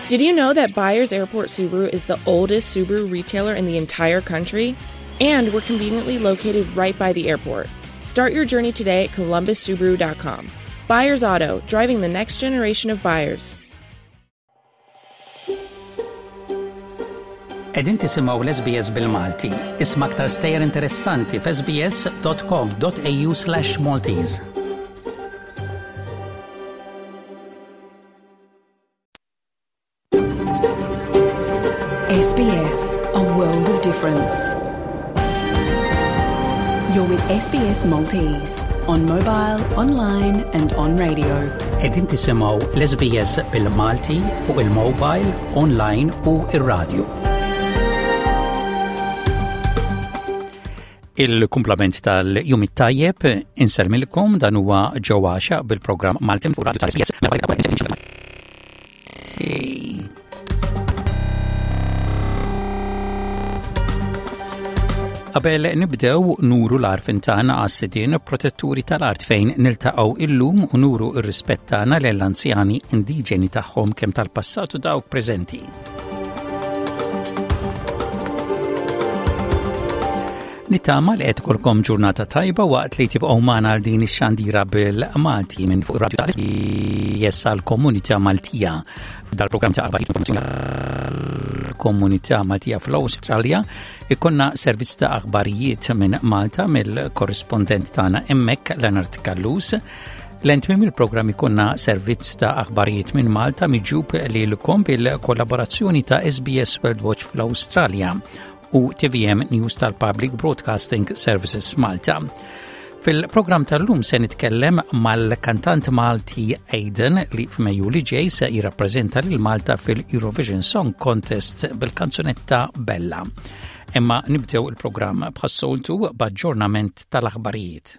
Did you know that Byers Airport Subaru is the oldest Subaru retailer in the entire country? And we're conveniently located right by the airport. Start your journey today at columbussubaru.com. Byers Auto, driving the next generation of buyers. Edin tisimaw l-SBS bil-Malti. Isma' aktar stejjer interessanti f'sbs.com.au slash Maltese. SBS, a world of difference. You're with SBS Maltese on mobile, online and on radio. Edin tisimaw l-SBS bil-Malti fuq il-mobile, online u ir-radio. Il-kumplament tal-jum it-tajjeb insellmilkom dan huwa ġewwa bil-programm Malti fuq Radio tal-SBS. Qabel nibdew nuru l-arfin tagħna għas-sidien protetturi tal-art fejn niltaqgħu illum u nuru r-rispett tagħna lill-anzjani indiġeni tagħhom kemm tal-passat u dawk preżenti. Nittama li qed ikolkom ġurnata tajba waqt li tibqgħu magħna għal din ix-xandira bil-Malti minn fuq radio tal-SBS għall-komunità Maltija. Dal-programm ta' aħbarijiet informazzjoni komunità Maltija fl-Awstralja ikonna servizz ta' aħbarijiet minn Malta mill-korrispondent tagħna hemmhekk Leonard Callus. Lejn tmiem il-programm ikonna servizz ta' aħbarijiet minn Malta miġjub lilkom bil-kollaborazzjoni ta' SBS World Watch fl-Awstralja u TVM News tal-Public Broadcasting Services f'Malta. Fil-programm tal-lum se nitkellem mal-kantant Malti Aidan li f'Mejju li ġej se jirrappreżenta lil Malta fil-Eurovision Song Contest bil-kanzunetta Bella. Imma nibdew il-programm bħas-soltu b'aġġornament tal-aħbarijiet.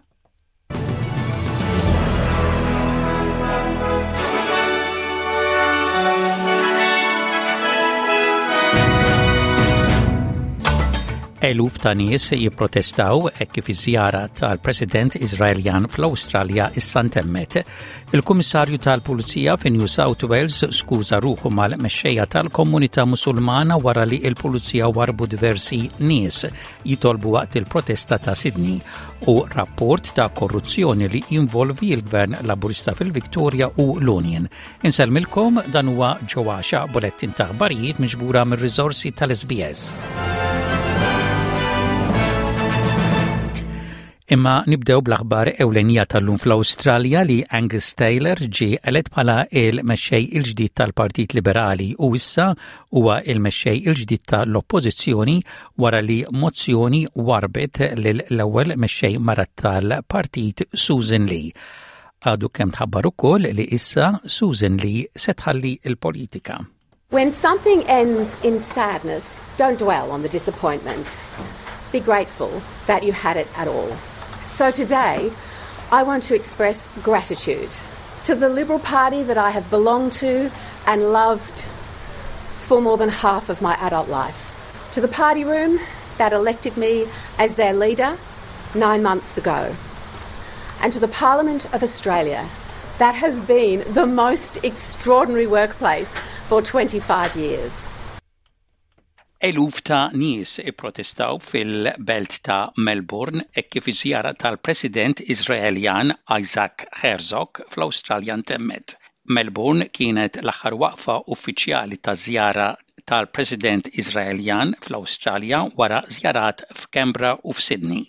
Eluf ta' nies jipprotestaw hekk kif iż-żjara tal-President Iżraeljan fl-Awstralja issa ntemmet. Il-Kummissarju tal-Pulizija fi New South Wales skuża ruħu mal-mexxejja tal-komunità Musulmana wara li l-Pulizija warbu diversi nies jitolbu waqt il-protesta ta' Sydney u rapport ta' korruzzjoni li jinvolvi l-Gvern Laburista fil-Victoria u l-Union. Insellmilkom dan huwa ġewwaxa bulettin ta' aħbarijiet miġbura mir-riżorsi tal-SBS. Imma nibdew bl-aħbar ewlenija tal-lum fl-Awstralja li Angus Taylor ġie elett bħala il-mexxej il-ġdid tal-Partit Liberali u issa huwa il-mexxej il-ġdid tal-Oppożizzjoni wara li mozzjoni warbet lil l-ewwel mexxej mara tal-partit Susan Lee. Għadu kemm tħabbar ukoll li issa Susan Lee se tħalli l-politika. When something ends in sadness, don't dwell on the disappointment. Be grateful that you had it at all. So today, I want to express gratitude to the Liberal Party that I have belonged to and loved for more than half of my adult life, to the party room that elected me as their leader nine months ago, and to the Parliament of Australia that has been the most extraordinary workplace for 25 years. Eluf ta' nies ipprotestaw fil-belt ta' Melbourne hekk kif iż-żjara tal-President Iżraeljan Isaac Herzog fl-Awstralja ntemmet. Melbourne kienet l-aħħar waqfa uffiċjali taż-żjara tal-President Iżraeljan fl-Awstralja wara żjarat f'Canberra u f'Sydney.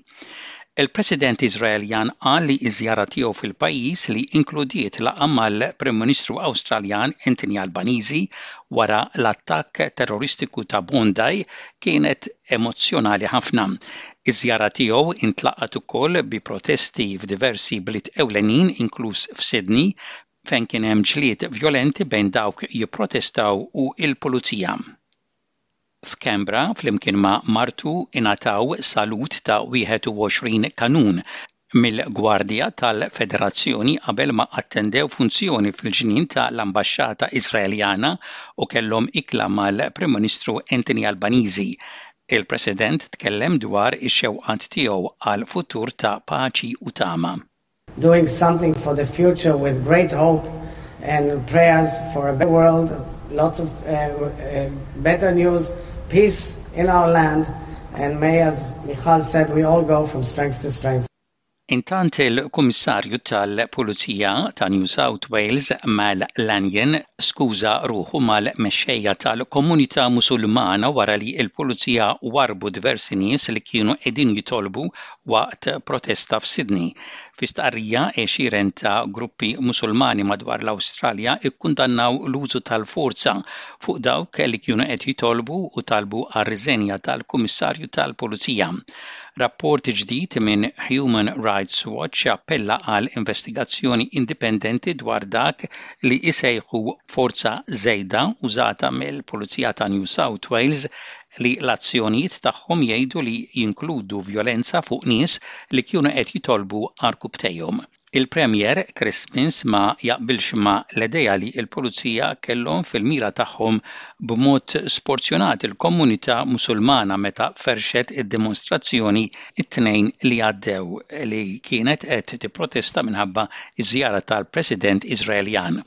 Il-President Iżraeljan qal li ż-żjara tiegħu fil-pajjiż li inkludiet laqgħa mal-Prim Ministru Awstraljan Anthony Albanese wara l-attakk terroristiku ta' Bondi kienet emozzjonali ħafna. Iż-żjara tiegħu intlaqgħet ukoll bi protesti f'diversi bliet ewlenin inkluż f'Sydney fejn kien hemm ġlied vjolenti bejn dawk jipprotestaw u l-pulizija. F'Canberra, flimkien ma' martu ingħataw salut ta' 21 kanun mill-Gwardja tal-Federazzjoni qabel ma attendew funzjoni fil-ġnien ta' l-Ambaxxata Iżraeljana u kellhom ikla mal-Prim Ministru Anthony Albanese. Il-President tkellem dwar ix-xewqat tiegħu għal futur ta' paċi u tama. Doing something for the future with great hope and prayers for a better world. lots of uh, uh, better news, peace in our land, and may, as Michal said, we all go from strength to strength. Intant il-Kummissarju tal-Pulizija ta' New South Wales Mal Lanyon skuża ruħu mal-mexxejja tal-komunità Musulmana wara li l-Pulizija warrbu diversi nies li kienu qegħdin jitolbu waqt protesta f'Sydney. Fi stqarrija, għexieren ta' gruppi Musulmani madwar l-Awstralja kkundannaw l-użu tal-forza fuq dawk li kienu qed jitolbu u talbu għar-riżenja tal-Kummissarju tal-Pulizija. Rapport ġdid minn Human Rights Watch appella għal investigazzjoni indipendenti dwar dak li jsejħu forza żejda użata mill-Pulizija ta' New South Wales li l-azzjonijiet tagħhom jgħidu li jinkludu vjolenza fuq nies li kienu qed jitolbu għarkupptejhom. Il-Premier Chris Minns ma jaqbilx ma' l-idea li l-pulizija kellhom fil-mira tagħhom b'mod sporzjonat il-komunità Musulmana meta ferrxet id-dimostrazzjoni t-Tnejn li għaddew li kienet qed tipprotesta minħabba ż-żjara tal-President Iżraeljan.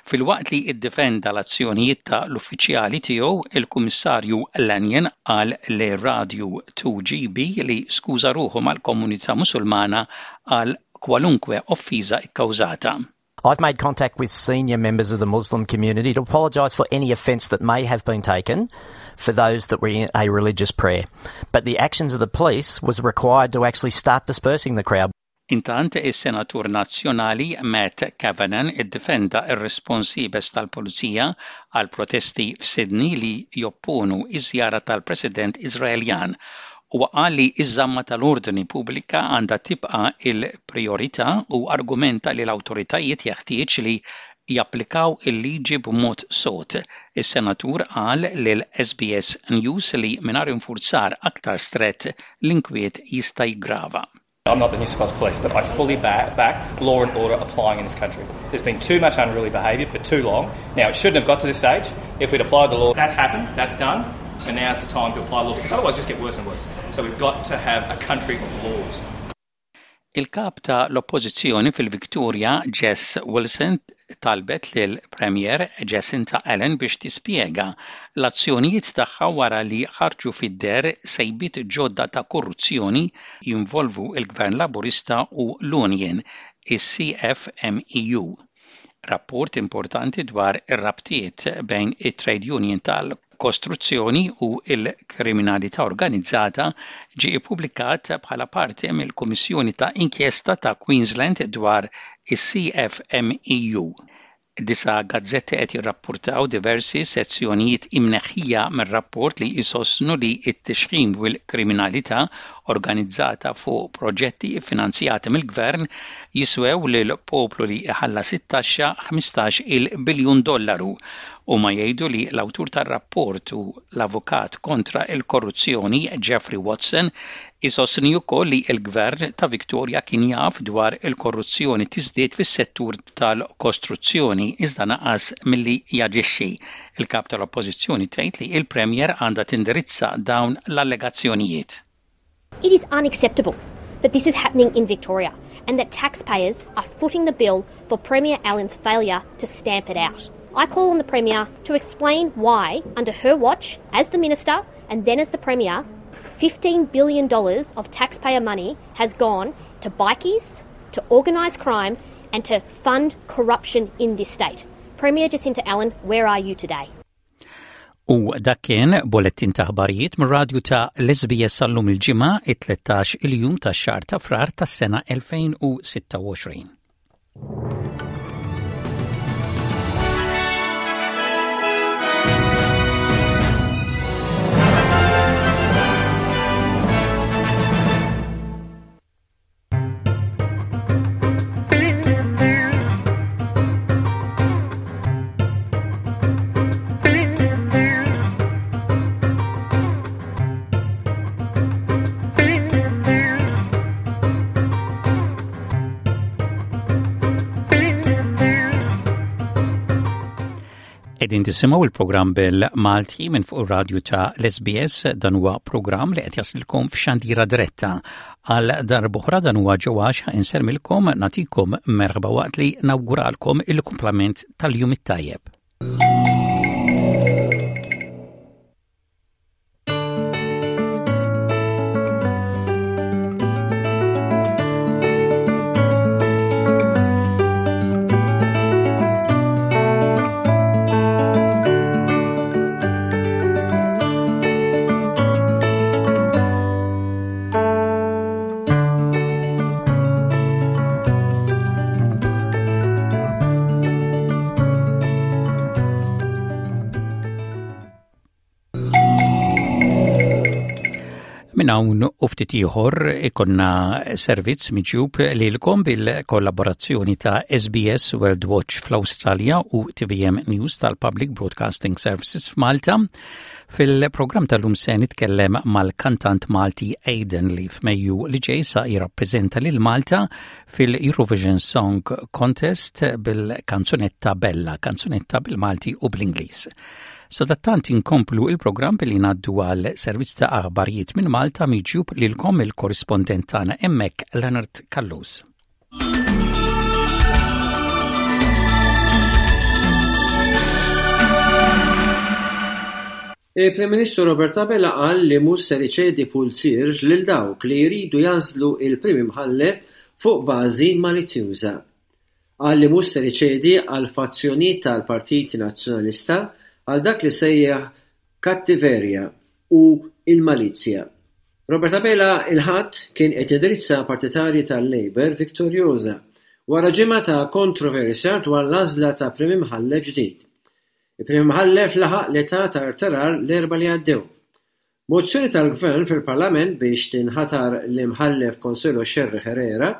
Filwaqt li ddefenda l-azzjonijiet ta' l-uffiċjali tiegħu, il-Kummissarju Lanyon qal lir-radju 2GB li skuża ruħu mal-komunità Musulmana għal kwalunkwe offiża kkawżata. I've made contact with senior members of the Muslim community to apologise for any offence that may have been taken for those that were in a religious prayer. But the actions of the police was required to actually start dispersing the crowd. Intant, is-Senatur Nazzjonali Matt Kavanagh iddefenda r-rispons iebes tal-Pulizija għall-protesti f'Sydney li jopponu ż-żjara tal-President Iżraeljan Huwa qal li ż-żamma tal-ordni pubblika għandha tibqa' l-prijorità u argumenta li l-awtoritajiet jeħtieġ li japplikaw il-liġi b'mod sod. Is-Senatur qal lil SBS News li mingħajr infurzar aktar strett l-inkwiet jista' jiggrava. I'm not the New South Wales Police, but I fully back, back law and order applying in this country. There's been too much unruly behaviour for too long. Now, it shouldn't have got to this stage. If we'd applied the law, that's happened, that's done. So now's the time to apply the law, because otherwise it just get worse and worse. So we've got to have a country of laws. Il-Kap ta' l-Oppożizzjoni fil-Victoria, Jess Wilson, talbet lill-Premier Jacinta Allan biex tispjega l-azzjonijiet tagħha wara li ħarġu fid-deher sejbiet ġodda ta' korruzzjoni jinvolvu l-Gvern Laburista u l-union, is-CFMEU. Rapport importanti dwar ir-rabtiet bejn it-trade union tal-kostruzzjoni u l-kriminalità organizzata ġie ppubblikat bħala parti mill-Kummissjoni ta' Inkjesta ta' Queensland dwar is-CFMEU. Disa' gazzetti qed jirrappurtaw diversi sezzjonijiet imneħħija mir-rapport li jsostnu li t-tixħim u l-kriminalità organizzata fuq proġetti ffinanzjati mill-Gvern jiswew lill-poplu li jħallas it-taxxa 15-il biljun dollaru. Huma jgħidu li l-awtur tar-rapport u l-avukat kontra l-korruzzjoni Geoffrey Watson isostni wkoll li l-Gvern ta' Victoria kien jaf dwar il-korruzzjoni tiżdied fis-settur tal-kostruzzjoni iżda naqas milli jaġixxi. Il-Kap tal-Oppożizzjoni tgħid li l-Premier għandha tindirizza dawn l-allegazzjonijiet. It is unacceptable that this is happening in Victoria and that taxpayers are footing the bill for Premier Allen's failure to stamp it out. I call on the Premier to explain why, under her watch as the Minister and then as the Premier, $15 billion of taxpayer money has gone to bikies, to organised crime and to fund corruption in this state. Premier Jacinta Allen, where are you today? U dak kien bolettin ta' ħbarijiet mir-radju ta' l-SBS sal-lum il-Ġimgħa, it-13 il-jum tax-xahar ta' Frar tas-sena 2026. Qegħdin tisimgħu il-programm bil-Malti minn fuq ir-radju ta' l-SBS dan huwa programm li qed jaslilkom f'xandira diretta. Għal darb'oħra dan huwa ġewwax insermilkom nagħtikom merħba waqt li nawguralkom il-kumplament tal-jum it-tajjeb. Minn hawn u ftit ieħor ikonna servizz miġjub lilkom bil-kollaborazzjoni ta' SBS World Watch fl-Awstralja u TVM News tal-Public Broadcasting Services f'Malta. Fil-programm tal-lum se nitkellem mal-kantant Malti Aidan li f'Mejju li ġej sa jirrappreżenta lil Malta fil-Eurovision Song Contest bil-kanzunetta Bella, kanzunetta bil-Malti u bl-Ingliż. Sadattant inkomplu il-programm billi ngħaddu għal servizz ta' aħbarijiet minn Malta miġjub lilkom il-korrispondent tagħna hemmhekk Leonard Callus. Il-Prim Ministru Robert Abela qal li mhux ser iċedi pulzier lil dawk li jridu jagħżlu l-Prim Imħallef fuq bażi malizzjuża. Qal li mhux ser iċedi għall-fazzjonijiet tal-Partit Nazzjonalista għal dak li sejjaħ kattiverja u il-malizzja. Robert Abela il-Ħadd kien qed jindirizza partitarji tal-Labour Victoriosa wara ġimgħa ta' kontroversja dwar l-għażla ta' Prim Imħallef ġdid. Il-Prim Imħallef laħaq l-età ta' rtirar l-Erbgħa li għaddew. Mozzjoni tal-Gvern fil-Parlament biex tinħatar l-Imħallef Consuelo Scerri Herrera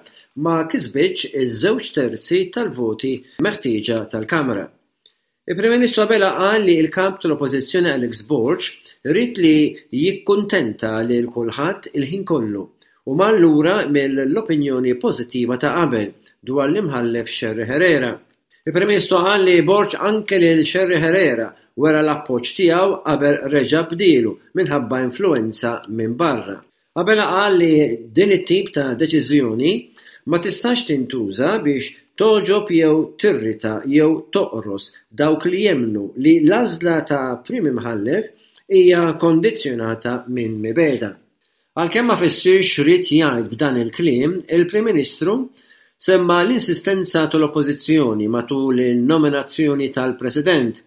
ma kisbitx iż-żewġ terzi tal-voti meħtieġa tal-Kamra. Il-Prim Ministru Abela qal li l-Kap tal-Oppożizzjoni Alex Borg ried li jikkuntenta lil kulħadd il-ħin kollu u mar lura mill-opinjoni pożittiva ta' qabel dwar l-Imħallef Scerri Herrera. Il-Prim Ministru qal li Borg anke lil Scerri Herrera wera l-appoġġ tiegħu qabel reġa' bdielu minħabba influwenza minn barra. Abela qal li din it-tip ta' deċiżjoni ma tistax tintuża biex togħġob jew tirrita jew toqros dawk li jemmnu li l-għażla ta' Prim Imħallef hija kondizzjonata minn mibegħda. Għalkemm ma fissirx x'ried jgħid b'dan il-kliem, il-Prim Ministru semma l-insistenza tal-Oppożizzjoni matul in-nominazzjoni tal-President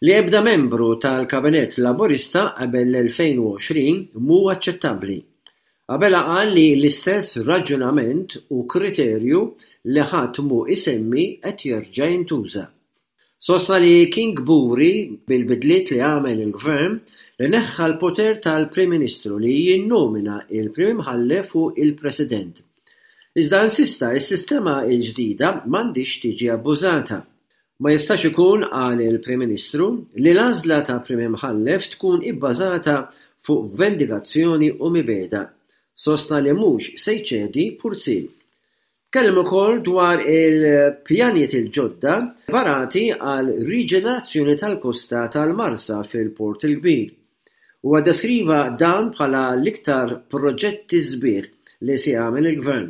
li ebda membru tal-Kabinett Laburista qabel l-2020 mhu aċċettabbli. Abela qal li l-istess raġunament u kriterju li ħadd mhu isemmi qed jerġa' jintuża. Sostna li kien kburi bil-bidliet li għamel il-Gvern li neħħa l-poter tal-Prim Ministru li jinnomina l-Prim Imħallef u l-President. Iżda insista s-sistema l-ġdida m'għandhiex tiġi abbużata. Ma jistax ikun, qal il-Prim Ministru, li l-għażla ta' Prim Imħallef tkun ibbażata fuq vendikazzjoni u mibegħda. Sostna li mhux se jċedi purziel. Tkellem ukoll dwar il-pjanijiet il-ġodda varati għal riġenerazzjoni tal-kosta tal-Marsa fil-Port il-Kbir. Huwa ddeskriva dan bħala l-iktar proġetti sbieħ li se jagħmel il-Gvern.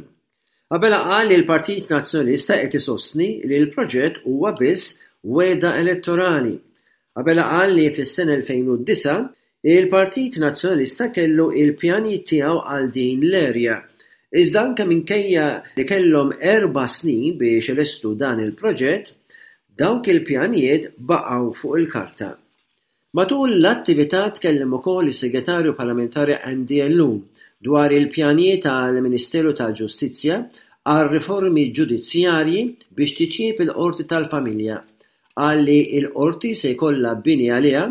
Abela qal li l-Partit Nazzjonalista qed isostni li l-proġett huwa biss wegħda elettorali Abela qal li fis-sena 2009, il-Partit Nazzjonalista kellu il-pjanijiet tiegħu għal din l-area, iżda anke minkejja li kellhom erba' snin biex ilestu dan il-proġett, dawk il-pjanijiet baqgħu fuq il-karta. Matul l-attività tkellem ukoll is-Segretarju Parlamentari Andy Ellul dwar il-pjanijiet tal-Ministeru tal-Ġustizzja għal riformi ġudizzjarji biex titjieb il-Qorti tal-Familja Qal li l-Qorti se jkollha bini għaliha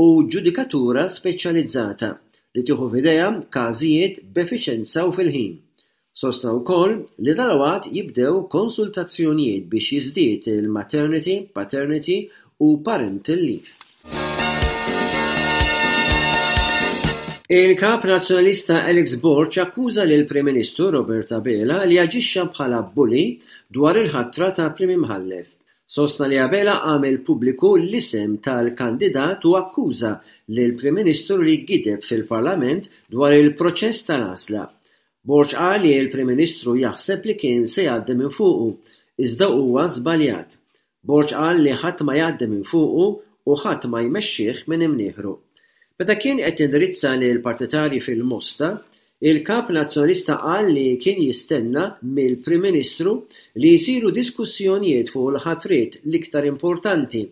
u ġudikatura speċjalizzata li tieħu f'idejha każijiet b'effiċenza u fil-ħin. Sostna wkoll li dalwaqt jibdew konsultazzjonijiet biex jiżdied il-maternity, paternity u parental leave. Il-Kap Nazzjonalista Alex Borg akkuża lill-Prim Ministru Robert Abela li aġixxa bħala bully dwar il-ħatra ta' Prim Imħallef. Sostna li Abela għamel pubbliku l-isem tal-kandidat u akkuża lill-Prim Ministru li gideb fil-Parlament dwar il-proċess tal-għażla. Borg qal li l-Prim Ministru jaħseb li kien se jgħaddi minn fuqu, iżda huwa żbaljat. Borg qal li ħadd ma jgħaddi minn fuqu u ħadd ma jmexxih minn imnieħru. Meta kien qed jindirizza lill-partitarji fil-Mosta, il-Kap Nazzjonalista qal li kien jistenna mill-Prim Ministru li jsiru diskussjonijiet fuq il-ħatriet l-iktar importanti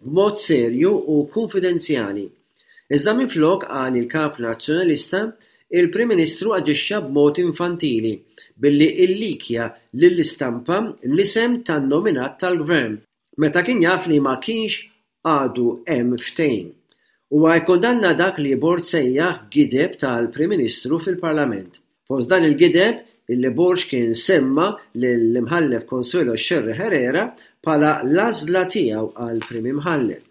b'mod serju u kunfidenzjali. Iżda minflok, qal il-Kap Nazzjonalista, il-Prim Ministru aġixxa b'mod infantili billi illikja lill-istampa l-isem tan-nominat tal-Gvern. Meta kien jaf li ma kienx għadu hemm ftehim. Huwa kkundanna dak li Borg sejjaħ gideb tal-Prim Ministru fil-Parlament. Fost dan il-gideb, illi Borg kien semma lill-Imħallef Consuelo Scerri Herrera bħala l-għażla tiegħu għal Prim Imħallef.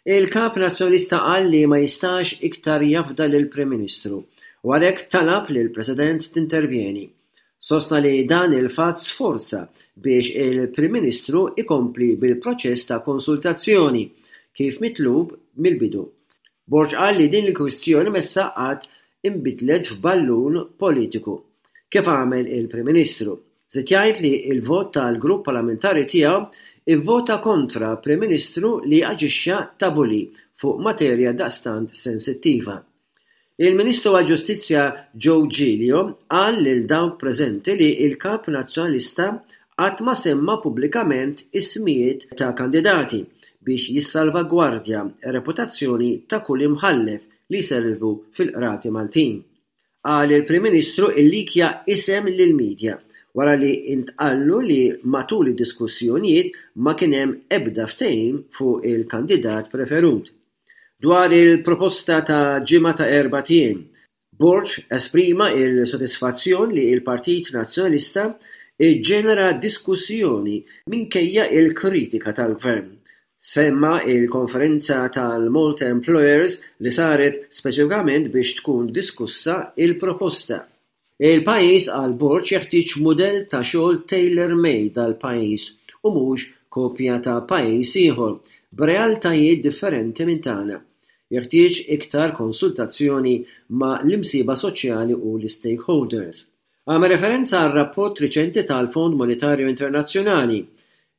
Il-Kap Nazzjonalista qal li ma jistax iktar jafda lill-Prim Ministru u għalhekk talab lill-President tintervjeni. Sostna li dan il-fatt sforza biex il-Prim Ministru jkompli bil-proċess ta' konsultazzjoni kif mitlub mill-bidu. Borg qal li din il-kwistjoni messha qatt inbidlet f'ballun politiku, kif għamel il-Prim Ministru. Żied jgħid li l-vot tal-grupp parlamentari tiegħu ivvota kontra Prim Ministru li aġixxa ta' bully fuq materja daqstant sensittiva. Il-Ministru għall-Ġustizzja Joe Giglio qal lil dawk preżenti li l-Kap Nazzjonalista qatt ma semma pubblikament ismijiet ta' kandidati biex jissalvagwardja r-reputazzjoni ta' kull imħallef li jservu fil-Qrati Maltin. Qal il-Prim Ministru illikja isem lill-media wara li intqallu li matul id-diskussjonijiet ma kien hemm ebda ftehim fuq il-kandidat preferut. Dwar il-proposta ta' ġimgħa ta' erbat ijiem, Borg esprima l-sodisfazzjon li l-Partit Nazzjonalista ġġenera diskussjoni minkejja l-kritika tal-Gvern. Semma l-konferenza tal-Malta Employers li saret speċifikament biex tkun diskussa l-proposta. Il-pajjiż, qal Borg, jeħtieġ mudell ta' xogħol tailor-made għall-pajjiż u mhux kopja ta' pajjiż ieħor b'realtajiet differenti minn tagħna. Jeħtieġ iktar konsultazzjoni ma' l-imsieħba soċjali u l-istakeholders. Għamel referenza għar-rapport riċenti tal-Fond Monetarju Internazzjonali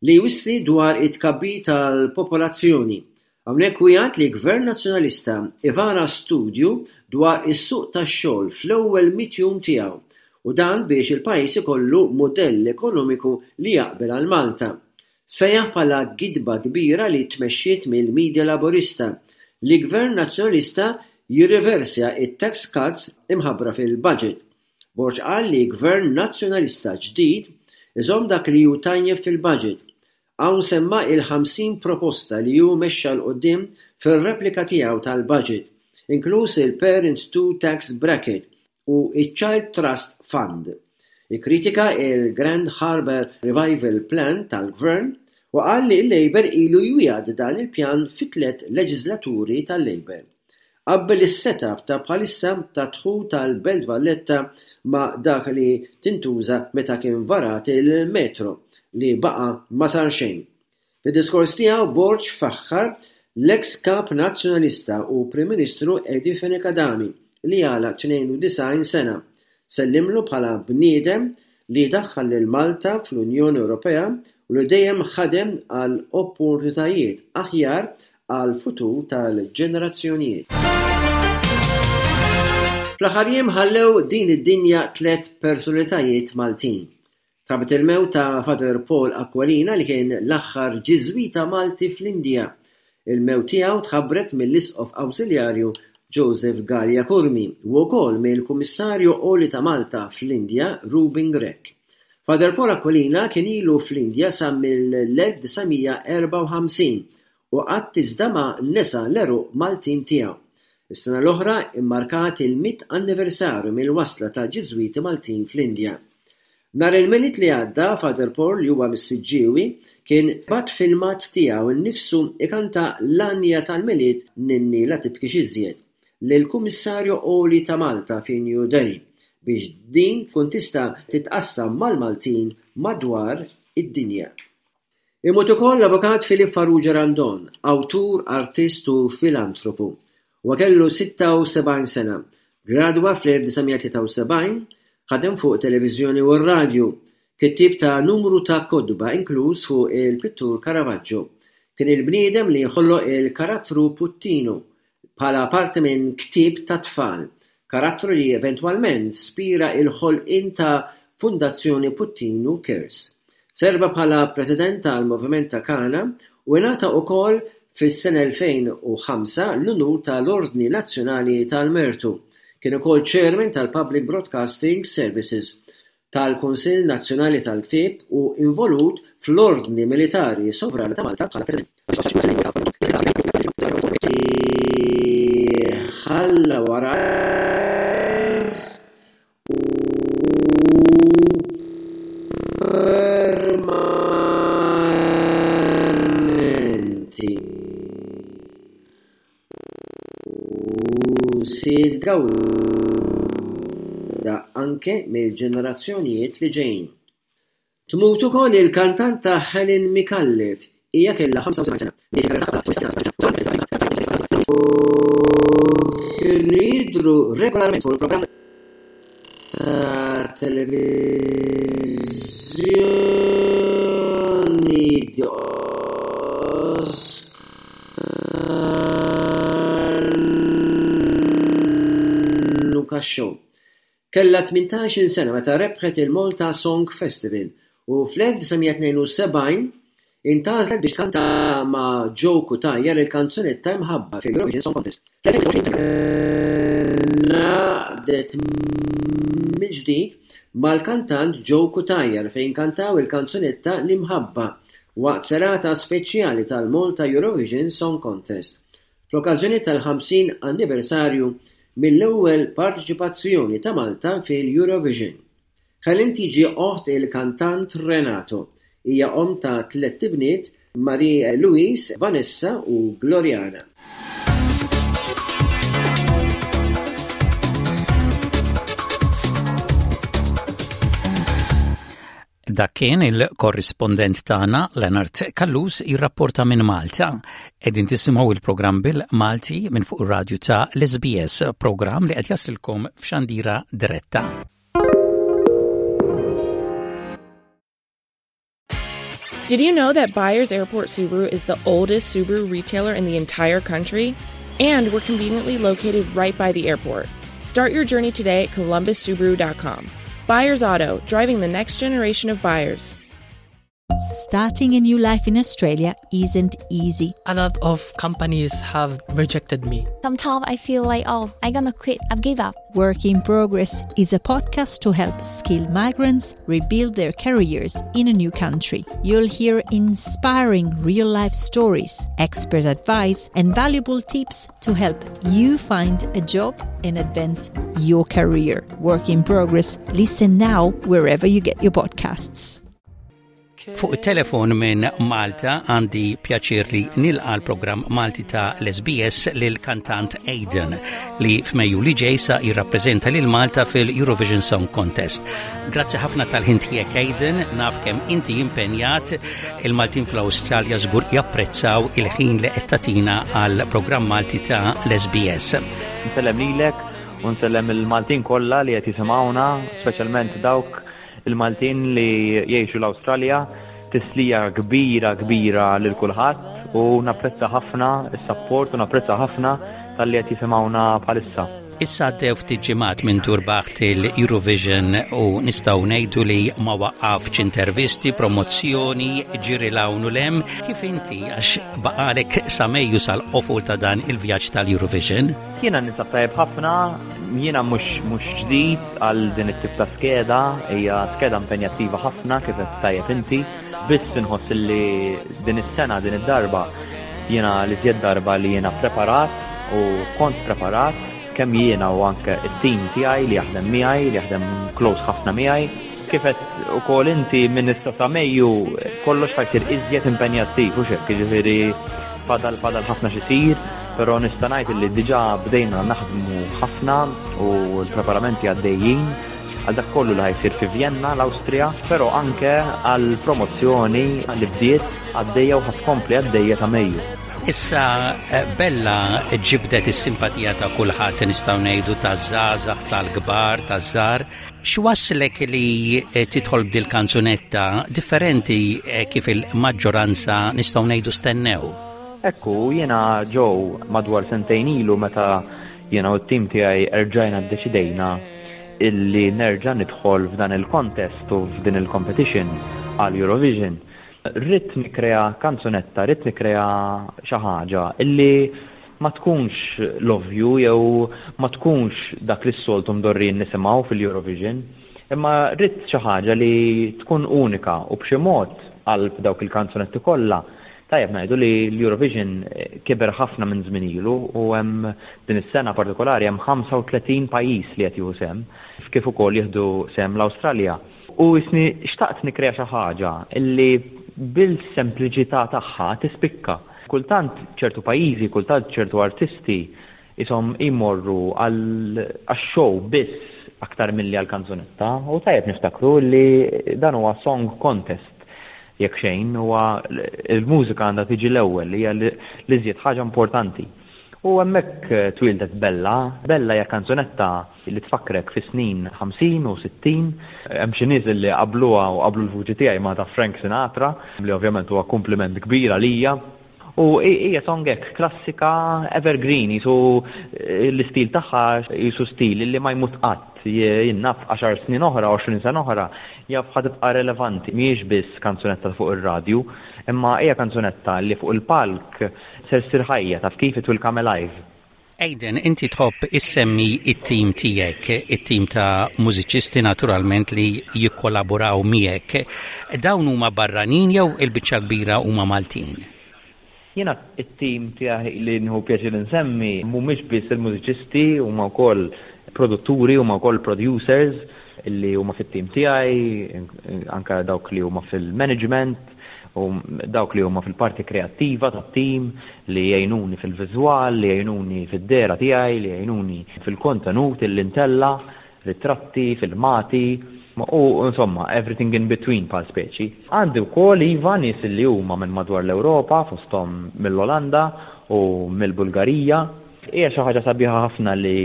li jwissi dwar it-tkabbir tal-popolazzjoni. Hawnhekk wiegħed li Gvern Nazzjonalista ivara studju dwar is-suq tax-xogħol fl-ewwel mitt jum tiegħu u dan biex il-pajjiż ikollu mudell ekonomiku li jaqbel għal Malta. Sejjaħ bħala gidba kbira li tmexxiet mill-media Laburista li Gvern Nazzjonalista jirriversja t-tax cuts imħabbra fil-budget. Borg qal li Gvern Nazzjonalista ġdid iżomm dak li hu tajjeb fil-budget. Hawn semma il-50 proposta li hu mexxa 'l quddiem fir-replika tiegħu tal-budget, inkluż il-Parent Two Tax Bracket u ċ-Child Trust Fund. Ikkritika il-Grand Harbour Revival Plan tal-Gvern u qal li l-Labour ilu jwiegħed dan il-pjan fit-tliet leġiżlaturi tal-Labour. Qabbel is-set-up ta' bħalissa tad-dħul tal-Belt Valletta ma' dak li tintuża meta kien varat il-metro li baqa' ma sar xejn. Fid-diskors tiegħu Borg faħħar l-eks Kap Nazzjonalista u Prim Ministru Eddie Fenech Adami li għalaq 92 sena. Sellimlu bħala bniedem li daħħal lil Malta fl-Unjoni Ewropea u li dejjem ħadem għal opportunitajiet aħjar għall-futur tal-ġenerazzjonijiet. Fl-aħħar jiem ħallew din id-dinja tlett personalitajiet Maltin. Tħabbret il-mewt ta' Father Paul Aquilina li kien l-aħħar Ġiżwita Malti fl-Indja. Il-mewt tiegħu tħabbret mill-Isqof Awżiljarju Joseph Galea Curmi u wkoll mill-Kummissarju Għoli ta' Malta fl-Indja Reuben Grech. Father Paul Aquilina kien ilu fl-Indja sa mill-1954 u qatt iżda ma nesa l-għeruq Maltin tiegħu. Is-sena l-oħra mmarkat il-mitt anniversarju mill-wasla tal-Ġiżwiti Maltin fl-Indja. Nhar il-Milied li għadda, Father Paul li huwa mis-Siġġiewi kien bagħat filmat tiegħu nnifsu jkanta l-għanja tal-Milied Ninni la tibkix iżjed. lill-Kummissarju Għoli ta' Malta fi New Delhi biex din tkun tista' titqassam mal-Maltin madwar id-dinja. Imut ukoll l-Avukat Philip Farrugia Randon, awtur, artist u filantropu. Huwa kellu 76 sena. Gradwa fl-1973, ħadem fuq televiżjoni u r-radju. Kittieb ta' numru ta' kotba inkluż fuq il-pittur Caravaggio. Kien il-bniedem li ħoloq il-karattru Puttinu bħala parti minn ktieb tat-tfal, karattru li eventwalment spira l-ħolqien ta' Fundazzjoni Puttinu Cares. Serva bħala President tal-Moviment ta' Kana u ingħata ukoll fis-sena 2005 l-unur tal-Ordni Nazzjonali tal-Mertu. Kien ukoll Chairman tal-Public Broadcasting Services, tal-Kunsill Nazzjonali tal-Ktieb u involut fl-Ordni Militari Sovrana ta' Malta bħala President. Ħalla warajh u permanenti u se jitgawda anke mill-ġenerazzjonijiet li ġejjin. Tmut ukoll il-kantanta Helen Micallef. Hija kellha 75 sena. Bdiet il-karriera tagħha U kienu jidhru regolarment fuq il-programm ta' televiżjoni The Oscar Luca Show. Kellha 18-il sena meta rebħet il-Malta Song Festival u fl-1972 intgħażlet biex tkanta ma' Joe Cutajar il-kanzunetta Imħabba fil-Eurovision Song Contest. Fl-2022 ngħaqdet mill-ġdid mal-kantant Joe Cutajar fejn kantaw il-kanzunetta L-Imħabba waqt serata speċjali tal-Malta Eurovision Song Contest. fl-okkażjoni tal-50 anniversarju mill-ewwel parteċipazzjoni ta' Malta fil-Eurovision. Helen tiġi oħt il-kantant Renato. Hija omm ta' tlett ibniet, Marie Louise, Vanessa u Gloriana. Dak kien il-korrispondent tagħna Leonard Callus jirrapporta minn Malta. Qegħdin tisimgħu il-programm bil-Malti minn fuq ir-radju ta' l-SBS, programm li qed jaslilkom f'xandira diretta. Did you know that Byers Airport Subaru is the oldest Subaru retailer in the entire country? And we're conveniently located right by the airport. Start your journey today at columbussubaru.com. Byers Auto, driving the next generation of buyers. Starting a new life in Australia isn't easy. A lot of companies have rejected me. Sometimes I feel like, oh, I'm gonna quit, I've give up. Work in Progress is a podcast to help skilled migrants rebuild their careers in a new country. You'll hear inspiring real life stories, expert advice, and valuable tips to help you find a job and advance your career. Work in Progress. Listen now wherever you get your podcasts. Fuq it-telefon minn Malta għandi pjaċir li nilqa l-programm Malti ta' l-SBS lil kantant Aidan li f'Mejju li ġej sa jirrappreżenta lil Malta fil-Eurovision Song Contest. Grazzi ħafna tal-ħin tiegħek Aidan, naf kemm inti impenjat il-Maltin fl-Awstralja żgur japprezzaw il-ħin li qed tagħtina għal programm Malti ta' l-SBS. Nsellem lilek u nsellem il-Maltin kollha li qed jisimgħuna, speċjalment dawk Il-Maltin li jgħixu l-Awstralja, tislija kbira kbira lil kulħadd u napprezza ħafna s-sapport u napprezza ħafna talli qed jisimgħuna bħalissa. Issa għaddew ftit ġimgħat minn turbaħt il-Eurovision u nistgħu ngħidu li ma waqqafx intervisti, promozzjoni, ġiri 'l hawn u 'l hemm. Kif inti għax baqalek sa Mejju sal-qofol ta' dan il-vjaġġ tal-Eurovision? Jiena ninsab tajjeb ħafna, jiena mhux mhux ġdid għal din it-tip ta' skeda, hija skeda impenjattiva ħafna kif qed tajjeb inti, biss inħoss li din is-sena din id-darba jiena l-iżjed darba li jiena preparat u kont preparat kemm jiena u anke it-tim tiegħi li jaħdem miegħi, li jaħdem close ħafna miegħi. Kif għedt ukoll inti minn issa sa Mejju kollox ħa jsir iżjed impenjattiv hux hekk, jiġifieri fadal fadal ħafna x'isir, però nista' ngħid li diġà bdejna naħdmu ħafna u l-preparamenti għaddejjin għal dak kollu li ħa jsir fi Vjenna, l-Awstrija, però anke għall-promozzjoni li bdiet għaddejja u ħa tkompli għaddejja sa Mejju. Issa Bella ġibdet is-simpatija ta' kulħadd nistgħu ngħidu taż-żgħażagħ, tal-kbar, taż-żgħar. X'wasslek li tidħol b'dil-kanzunetta differenti kif il-maġġoranza nistgħu ngħidu stennew? Ekku, jiena Joe madwar sentejn ilu meta jiena u t-tim tiegħi erġajna ddeċidejna illi nerġa' nidħol f'dan il-contest u f'din il-competition għal Eurovision. Ridt nikkrea kanzunetta, ridt nikkrea xi ħaġa illi ma tkunx l-ovvju jew ma tkunx dak li s-soltu mdorrijin nisimgħu fil-Eurovision, imma ridt xi ħaġa li tkun unika u b'xi mod qalb dawk il-kanzunetti kollha. Tajjeb ngħidu li l-Eurovision kiber ħafna minn żmien ilu u hemm din is-sena partikolari hemm 35 pajjiż li qed jieħu sehem, kif ukoll jieħdu sehem l-Awstralja. U jisni xtaqt nikkrea xi ħaġa li bil-sempliċità tagħha tispikka. Kultant ċertu pajjiżi, kultant ċertu artisti qishom jmorru għax-show biss aktar milli għall-kanzunetta u tajjeb niftakru li dan huwa song contest jekk xejn, huwa l-mużika għandha tiġi l-ewwel, hija l-iżjed ħaġa importanti. U hemmhekk twieldet Bella. Bella hija kanzunetta li tfakkrek fis-snin 50 u 60. Hemm xi nies li qabluha u qablu l-vuċi tiegħi ma' ta' Frank Sinatra, li ovvjament huwa kumpliment kbir għalija. U hija song hekk klassika evergreen, qisu l-istil tagħha qisu stil li ma jmut qatt. Jien naf għaxar snin oħra, 20 sena oħra, jaf ħa tibqa' relevanti. Mhijiex biss kanzunetta fuq ir-radju, imma hija kanzunetta li fuq il-palk ser ssir ħajja, taf kif, it will come alive. Aidan, inti tħobb issemmi t-tim tiegħek, it-tim ta' mużiċisti naturalment li jikkollaboraw miegħek. Dawn huma barranin jew il-biċċa l-kbira huma Maltin? Jiena t-tim tiegħi li nieħu pjaċir insemmi mhumiex biss il-mużiċisti, huma wkoll produtturi, huma wkoll producers li huma fit-tim tiegħi, anke dawk li huma fil-management, u dawk li huma fil-parti kreattiva tat-tim, li jgħinuni fil-viżwal, li jgħinuni fid-dehra tiegħi, li jgħinuni fil-kontenut illi ntella', ritratti, filmati, u insomma everything in between bħal speċi. Għandi wkoll iva nies li huma minn madwar l-Ewropa, fosthom mill-Olanda u mill-Bulgarija. Hija xi ħaġa sabiħa ħafna li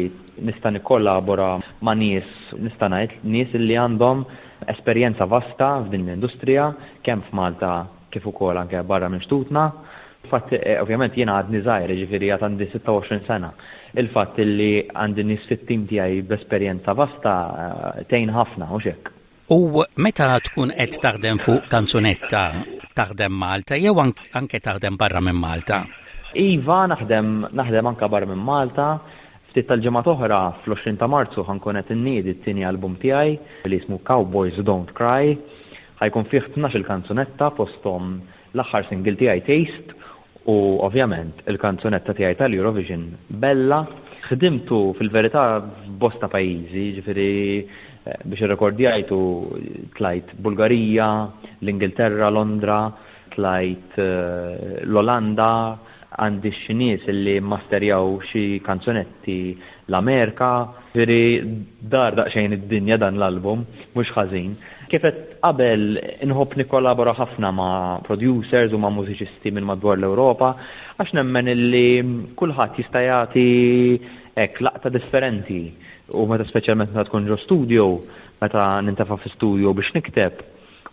nista' nikkollabora ma' nies, nista' ngħid nies li għandhom Esperjenza vasta f'din l-industrija, kemm f'Malta kif ukoll anke barra minn xtutna. Il-fatt, ovvjament jiena għadni żgħir, jiġifieri għad għandi 26 sena. Il-fatt li għandi nies fit-tim tiegħi b'esperjenza vasta tgħin ħafna, hux hekk? U meta tkun qed taħdem fuq kanzunetta, taħdem Malta jew anke taħdem barra minn Malta? Iva, naħdem, naħdem anke barra minn Malta. Ftit tal-ġimgħat oħra, fl-20 ta' Marzu ħa nkun qed inniedi t-tieni album tiegħi li jismu Cowboys Don't Cry. Ħa jkun fih tnax-il kanzunetta fosthom l-aħħar single tiegħi Taste u ovvjament il-kanzunetta tiegħi tal-Eurovision Bella. Ħdimtu fil-verità f'bosta pajjiżi, jiġifieri biex irrekordjajtu tlajt Bulgarija, l-Ingilterra, Londra, tlajt l-Olanda, Għandi xi nies li mmasterjaw xi kanzunetti l-Amerika. Ġifieri dar daqsxejn id-dinja dan l-album, mhux ħażin. Kif għedt qabel, inħobb nikkollabora ħafna ma' producers u ma' mużiċisti minn madwar l-Ewropa għax nemmen illi kulħadd jista' jagħti hekk laqta differenti u meta speċjalment meta tkun ġo studio, meta nintefa' fi studio biex nikteb,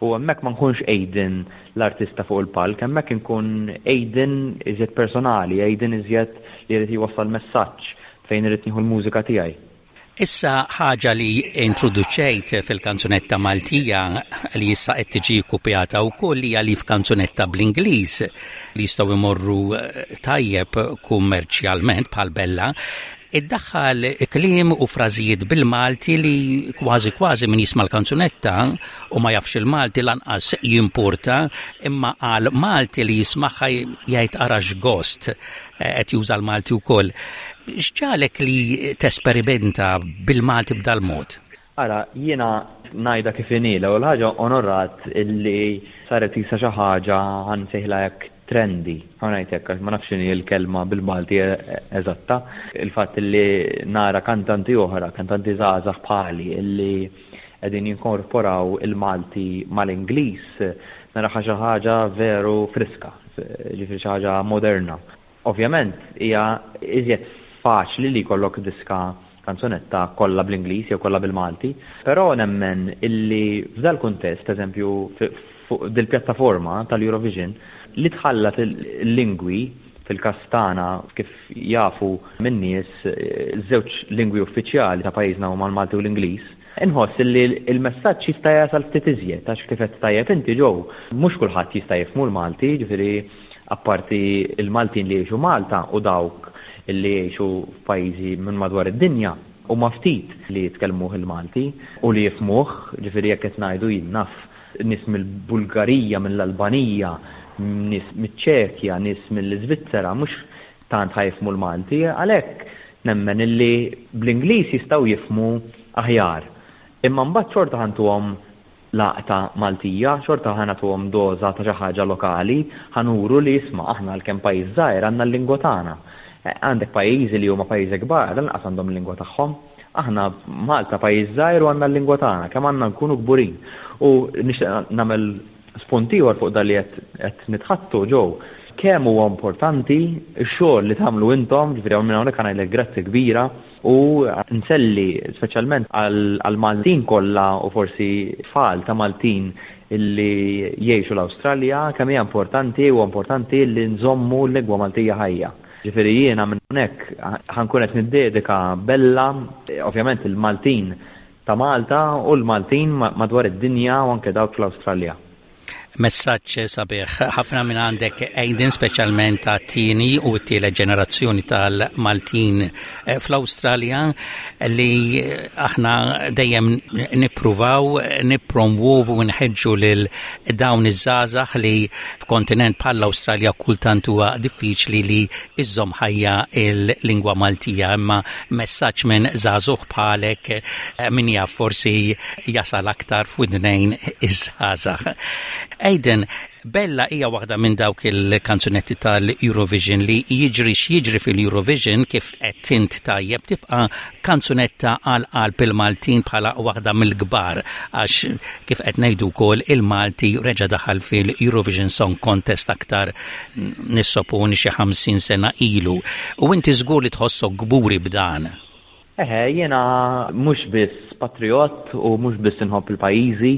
U hemmhekk ma nkunx Aidan l-artista fuq il-palk, hemmhekk inkun Aidan iżjed personali, Aidan iżjed li jrid jwassal messaġġ fejn irrid nieħu l-mużika tiegħi. Issa ħaġa li introduċejt fil-kanzunetta Maltija li issa qed tiġi kkupjata wkoll hija li f'kanzunetta bl-Ingliż li jistgħu jmorru tajjeb kummerċjalment bħal Bella, Iddaħħal kliem u frażijiet bil-Malti li kważi kważi min jisma' l-kanzunetta u ma jafx il-Malti lanqas jimpurta, imma għal Malti li jismagħha jgħid ara x'gost qed juża l-Malti wkoll. X'ġagħlek li tesperimenta bil-Malti b'dal-mod? Ara, jiena ngħidha kif inhi, l-ewwel ħaġa onorat illi saret qisha xi ħaġa ħa nsejħilha hekk trendy, ħa ngħid hekk għax ma nafx x'inhi l-kelma bil-Malti eżatta, il-fatt illi nara kantanti oħra, kantanti żgħażagħ bħali illi qegħdin jinkorporaw il-Malti mal-Ingliż, naraha xi ħaġa veru friska, jiġifieri xi ħaġa moderna. Ovvjament hija iżjed faċli li jkollok diska kanzunetta kollha bl-Ingliż jew kollha bil-Malti, però nemmen illi f'dal-kuntest, eżempju fuq dil-pjattaforma tal-Eurovision, li tħallat il-lingwi, fil-każ tagħna kif jafu min-nies, iż-żewġ lingwi uffiċjali ta' pajjiżna huma l-Malti u l-Ingliż, inħoss illi l-messaġġ jista' jasal ftit iżjed għax kif għedt tajjeb inti Joe, mhux kulħadd jista' jifhmu l-Malti, jiġifieri Apparti l-Maltin li jgħixu Malta u dawk li jgħixu f'pajjiżi minn madwar id-dinja, huma ftit li jitkellmuh il-Malti u li jifhmuh, ġifieri jekk qed ngħidu jien naf nies mill-Bulgarija, mill-Albanija, nies miċ-Ċekja, nies mill-Iżvizzera mhux tant ħa jifhmu l-Malti, għalhekk nemmen illi bl-Ingliż jistgħu jifhmu aħjar. Imma mbagħad xorta ħa ntuhom laqta Maltija, xorta ħa nagħtuhom doża ta' xi ħaġa lokali, ħa nuru li isma' aħna għalkemm pajjiż żgħir għandna l-lingwa tagħna. Għandek pajjiżi li huma pajjiżi kbar lanqas għandhom il-lingwa tagħhom. Aħna Malta pajjiż żgħir u għandna l-lingwa tagħna, kemm għandna nkunu kburin. U nixtieq nagħmel spunt ieħor fuq dan li qed nitħaddtu, Joe, kemm huwa importanti x-xogħol li tagħmlu intom, ġifieri minn hawnhekk ħa ngħidlek grazzi kbira U nselli speċjalment għall-Maltin kollha u forsi tfal ta' Maltin illi jgħixu l-Awstralja kemm hija importanti huwa importanti li nżommu l-lingwa Maltija ħajja. Ġifieri jiena minn hawnhekk ħa nkun qed niddedika Bella, ovvjament il-Maltin ta' Malta u l-Maltin madwar id-dinja u anke dawk fl-Awstralja. Messaġġ sabiħ ħafna minn għandek Aiden, speċjalment għat-tieni u t-tielet ġenerazzjoni tal-Maltin eh, fl-Awstralja li aħna dejjem nippruvaw nippromwovu u nħeġġu lil dawn iż-żgħażagħ li f'kontinent bħall-Awstralja kultant huwa diffiċli li iżżomm ħajja il-lingwa Maltija, imma messaġġ minn żagħżugħ bħalek eh, min jaf forsi jasal aktar f'widnejn iż-żgħażagħ. Aiden, Bella hija waħda minn dawk il-kanzunetti tal-Eurovision li jiġri x'jiġri fil-Eurovision kif qed int tajjeb tibqa' kanzunetta għal qalb il-Maltin bħala waħda mill-kbar għax kif qed ngħidu wkoll il-Malti reġa' daħal fil-Eurovision Song Contest aktar nissoponi xi 50 sena ilu. U inti żgur li tħossok kburi b'dan. Eħe, jiena mhux biss patrijott u mhux biss inħobb il-pajjiżi.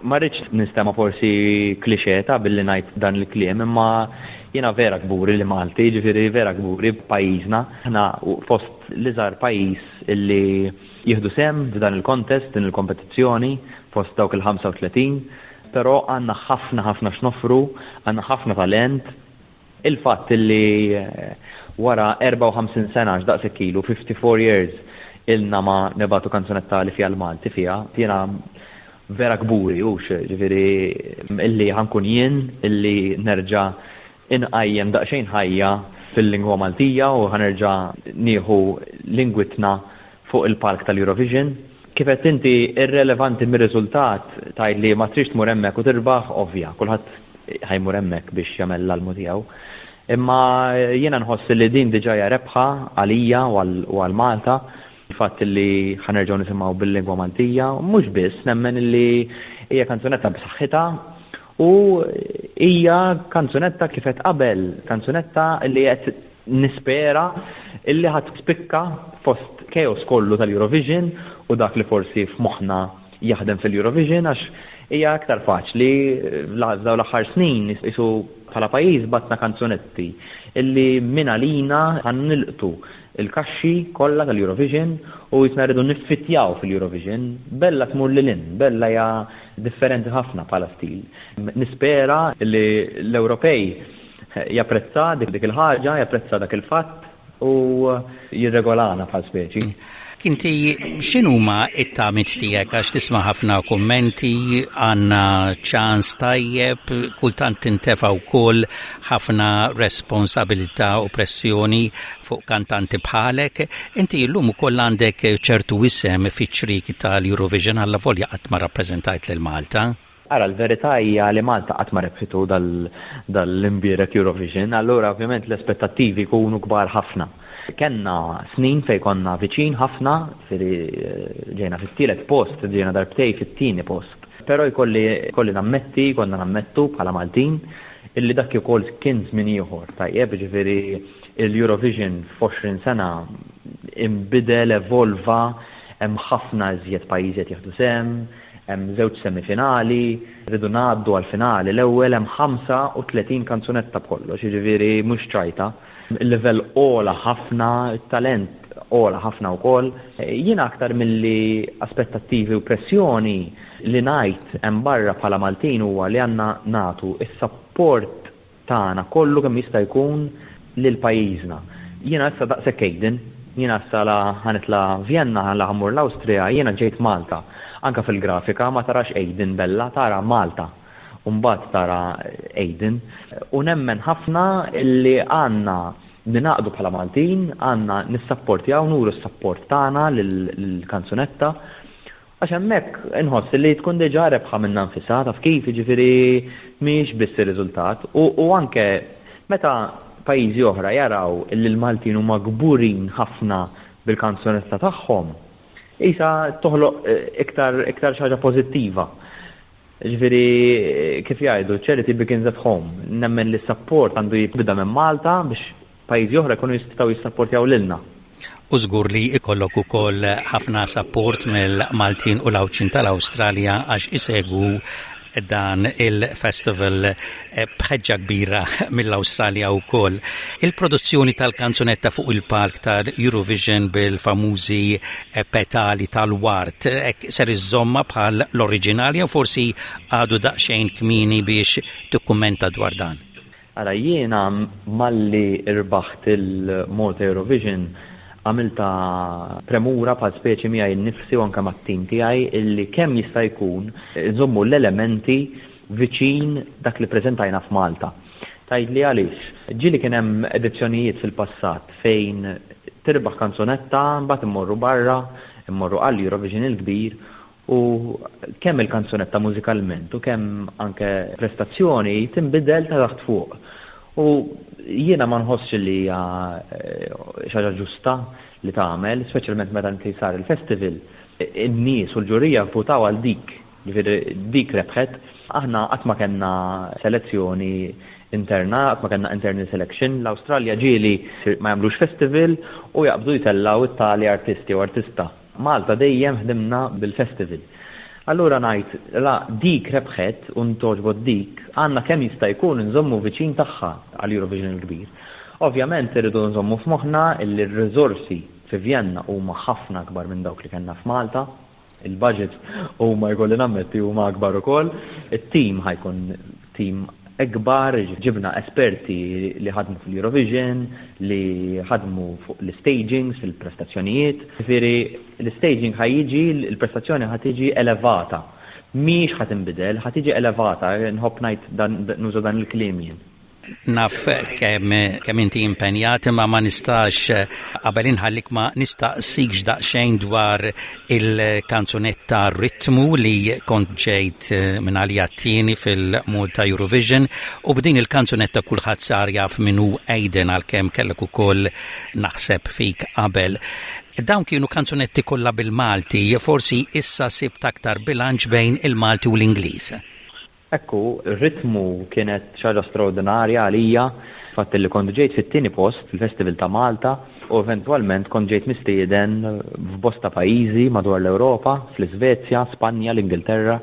Ma rridx ninstema' forsi cliché ta' billi ngħid dan il-kliem imma jiena vera kburi li Malti, jiġifieri vera kburi b'pajjiżna. Aħna fost l-iżgħar pajjiż illi jieħdu sehem f'dan il-contest, din il-kompetizzjoni, fost dawk il-35. Però għandna ħafna ħafna x'noffru, għandna ħafna talent. Il-fatt li wara 54 sena, għax daqshekk ilu, 54 years, ilna ma nibagħtu kanzunetta li fiha l-Malti fiha, jiena vera kburi, hux, ġifieri illi ħa nkun jien illi nerġa' inqajjem daqsxejn ħajja fil-lingwa Maltija u ħa nerġa' nieħu lingwitna fuq il-palk tal-Eurovision. Kif għedt inti, irrelevanti mir-riżultat, tgħid li ma tridx tmur hemmhekk u tirbaħ, ovvja, kulħadd ħa jmur hemmhekk biex jagħmel l-almu tiegħu. Imma jiena nħoss li din diġà hija rebħa għalija u għal Malta, il-fatt li ħa nerġgħu nisimgħu bil-lingwa Maltija, u mhux biss, nemmen li hija kanzunetta b'saħħitha u hija kanzunetta kif għedt qabel, kanzunetta li qed Nispera illi ħa tispikka fost chaos kollu tal-Eurovision u dak li forsi f'moħħna jaħdem fil-Eurovision għax hija aktar faċli f'dawn l-aħħar snin qisu bħala pajjiż bgħatna kanzunetti illi mingħalina ħa nilqtu l-kaxxi kollha tal-Eurovision u qisna rridu niffittjaw fil-Eurovision. Bella tmur lil hinn, Bella hija differenti ħafna bħala stil. Nispera li l-Ewropej Japprezza dik il-ħaġa, japprezza dak il-fatt u jirregolana bħal speċi. Inti x'inhuma t-tamiet tiegħek għax tisma' ħafna kummenti, għandna ċans tajjeb, kultant tintefa' wkoll ħafna responsabilità u pressjoni fuq kantanti bħalek. Inti llum ukoll għandek ċertu isem fiċ-ċrieki tal-Eurovision allavolja qatt ma rappreżentajt lil Malta. Ara, l-verità hija li Malta qatt ma rebħitu dal-imbierek Eurovision, allura ovvjament l-aspettattivi jkunu kbar ħafna. Kellna snin fejn konna viċin ħafna, jiġifieri ġejna fit-tielet post, ġejna darbtejn fit-tieni post. Però jkolli jkolli nammetti, jkollna nammettu bħala Maltin, illi dak ukoll kien żmien ieħor, tajjeb, jiġifieri l-Eurovision f'għoxrin sena inbidel, evolva, hemm ħafna iżjed pajjiżi qed jieħdu sehem, Hemm żewġ semifinali, rridu ngħaddu għall-finali l-ewwel, hemm 35 kanzunetta b'kollox, jiġifieri mhux ċajta. Il-livell ogħla ħafna, it-talent ogħla ħafna wkoll. Jiena aktar milli aspettattivi u pressjoni, li ngħid hemm barra bħala Maltin huwa li għandna nagħtu s-sapport tagħna kollu kemm jista' jkun lil pajjiżna. Jiena issa daqshekk Aiden, jiena issa la ħa nitla' Vjenna, la ħa mmur l-Awstrija, jiena ġejt Malta. Anke fil-grafika ma tarax Aiden Bella, tara Malta. u mbagħad tara Aidan. U nemmen ħafna li għandna ningħaqdu bħala Maltin, għandna nissapportjaw, nuru s-sapport tagħna lill-kanzunetta. Għax hemmhekk inħoss li tkun diġà rebħa minnha nfisha, taf kif, jiġifieri mhijiex biss ir-riżultat. U anke meta pajjiżi oħra jaraw li l-Maltin huma kburin ħafna bil-kanzunetta tagħhom, qisha toħloq iktar iktar xi ħaġa pożittiva. Jiġifieri kif jgħidu, charity begins at home. Nemmen li s-sapport għandu jibda minn Malta biex pajjiżi oħra jkunu jistgħu jissapportjaw lilna. U żgur li jkollok ukoll ħafna sapport mill-Maltin u l-Għawdxin tal-Awstralja għax isegwu dan il-festival eh, bħeġġa kbira mill-Awstralja wkoll. Il-produzzjoni tal-kanzunetta fuq il-palk tal-Eurovision bil-famużi eh, petali tal-wart eh, ser iżomma bħal l-oriġinali jew forsi għadu daqsxejn kmini biex tikkummenta dwar dan. Ara jiena malli rbaħt il-Malta Eurovision għamiltha premura bħal speċi miegħi nnifsi u anke mat-tim tiegħi illi kemm jista' jkun inżommu l-elementi viċin dak li ppreżentajna f'Malta. Tgħidli għaliex? Ġieli kien hemm edizzjonijiet fil-passat fejn tirbaħ kanzunetta mbagħad immorru barra, immorru għall-Eurovision il-kbir U kemm il-kanzunetta mużikalment u kemm anke prestazzjoni tinbidel ta' taħt fuq. U jiena ma nħossx li hija xi ħaġa ġusta li tagħmel, speċjalment meta inti sar il-festival, in-nies u l-ġurija vvutaw għal dik, jiġifieri dik rebħet. Aħna qatt ma kellna selezzjoni interna, qatt ma kellna internal selection. L-Awstralja ġieli ma jagħmlux festival u jaqbdu jtellgħu t-tali artist jew artista. Malta dejjem ħdimna bil-festival. Allura ngħid la dik rebħet u ntgħoġbot dik, għandna kemm jista' jkun inżommu viċin tagħha għall-Eurovision il-kbir. Ovvjament irridu nżommu f'moħħna illi r-riżorsi fi Vjenna huma ħafna akbar minn dawk li kellna f'Malta. Il-budgets huma jkolli nammetti huma akbar ukoll. It-team ħa jkun team ikbar, ġibna esperti li ħadmu fil-Eurovision, li ħadmu fuq l-istagings, fil-prestazzjonijiet. Ġifieri l-istaging ħa jiġi, il-prestazzjoni ħa tiġi elevata. Mhijiex ħa tinbidel, ħa tiġi elevata, nħobb ngħid nuża dan il-kliem jien. Naf kemm kemm inti impenjat imma ma nistax qabel inħallik ma nistaqsikx daqsxejn dwar il-kanzunetta Ritmu li kont ġejt minn għalija t-tieni fil-Malta Eurovision u b'din il-kanzunetta kulħadd sar jaf min hu Aidan għalkemm kellek ukoll naħseb fik qabel. Dawn kienu kanzunetti kollha bil-Malti, forsi issa sibt aktar bilanċ bejn il-Malti u l-Ingliż. Hekk hu, ir-ritmu kienet xi ħaġa straordinarja għalija, il-fatt li kont ġejt fit-tieni post fil-Festival ta' Malta u eventwalment kont ġejt mistieden f'bosta pajjiżi madwar l-Ewropa, fl-Iżvezja, Spanja, l-Ingilterra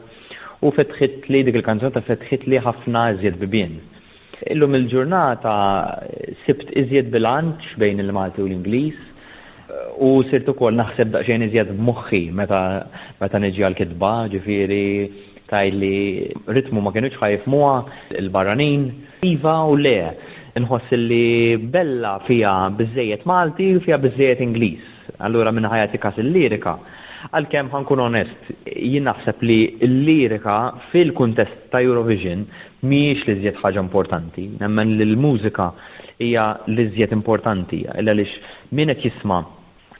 u fetħitli dik il-kanzunetta fetħitli ħafna iżjed bibien. Illum il-ġurnata sibt iżjed bilanċ bejn il-Malti u l-Ingliż u sirt ukoll naħseb daqsxejn iżjed b'moħħi meta meta niġi għall-kitba, ġifieri tgħidli ritmu ma kinux ħa jifhmuha l-barranin. Iva u le. Inħoss li Bella fiha biżżejjed Malti u fiha biżżejjed Ingliż. Allura min ħa jagħti kas il-lirika. Għalkemm ħa nkun onest, jien naħseb li l-lirika fil-kuntest ta' Eurovision mhijiex l-iżjed ħaġa importanti. Nemmen li l-mużika hija l-iżjed importanti għaliex min qed jisma'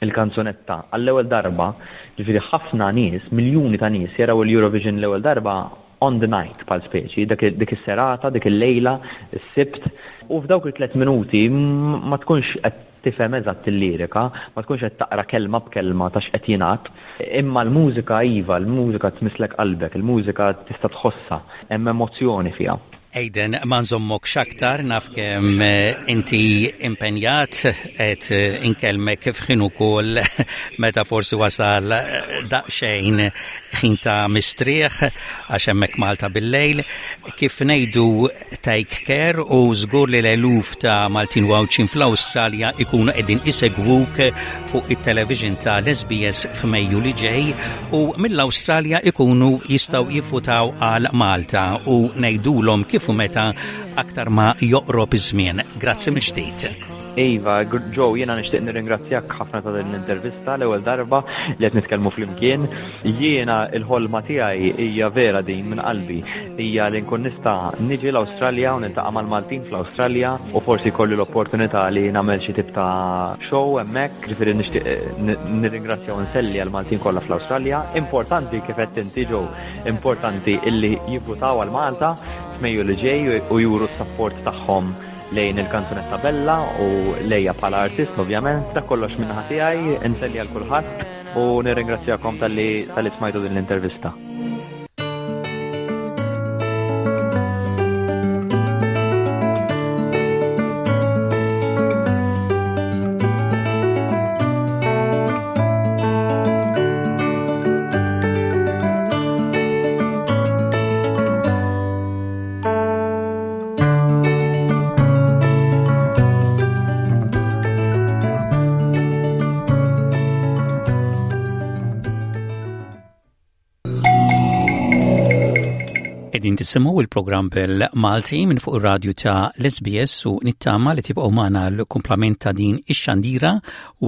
l-kanzunetta għall-ewwel darba, ġifieri ħafna nies, miljuni ta' nies jaraw il-Eurovision l-ewwel darba on the night bħal speċi, dik is-serata, dik il-lejla, is-Sibt, u f'dawk it-tlett minuti ma tkunx qed tifhem eżatt il-lirika, ma tkunx qed taqra kelma b'kelma ta' x'qed jingħad, imma l-mużika iva, l-mużika tmisslek qalbek, il-mużika tista' tħossha, hemm emozzjoni fiha. Aidan, ma nżommokx aktar, naf kemm inti impenjat, qed inkellmek f'ħin ukoll meta forsi wasal daqsxejn ħin ta' mistrieħ għax hemmhekk Malta bil-lejl. Kif ngħidu Take care u żgur li l-eluf ta' Maltin u Għawdxin fl-Awstralja ikunu qegħdin isegwuk fuq it-television ta' l-SBS f'Mejju li ġej u mill-Awstralja ikunu jistgħu jivvutaw għal Malta u ngħidulhom kif kif u meta aktar ma joqrob iż-żmien. Grazzi mill-ġdid. Iva, Joe, jiena nixtieq nirringrazzjak ħafna ta' din l-intervista l-ewwel darba li qed nitkellmu flimkien. Jiena l-ħolma tiegħi hija vera din minn qalbi, hija li nkun nista' niġi l-Awstralja u niltaqa' mal-Maltin fl-Awstralja u forsi jkolli l-opportunità li nagħmel xi tip ta' show hemmhekk, ġifieri nixtieq nirringrazzja u nselli għall-Maltin kollha fl-Awstralja. Importanti kif għedt inti Joe, importanti illi jivvutaw għal Malta f'Mejju li ġej u juru s-sapport tagħhom lejn il-kanzunetta Bella u lejja bħala artist ovvjament. Dak kollox min-naħa tiegħi, inselli għal kulħadd u nirringrazzjakom talli talli smajtu din l-intervista. Qegħdin tisimgħu il-programm bil-Malti minn fuq ir-radju ta' l-SBS u nittama li tibqgħu magħna l-kumplament ta' din ix-xandira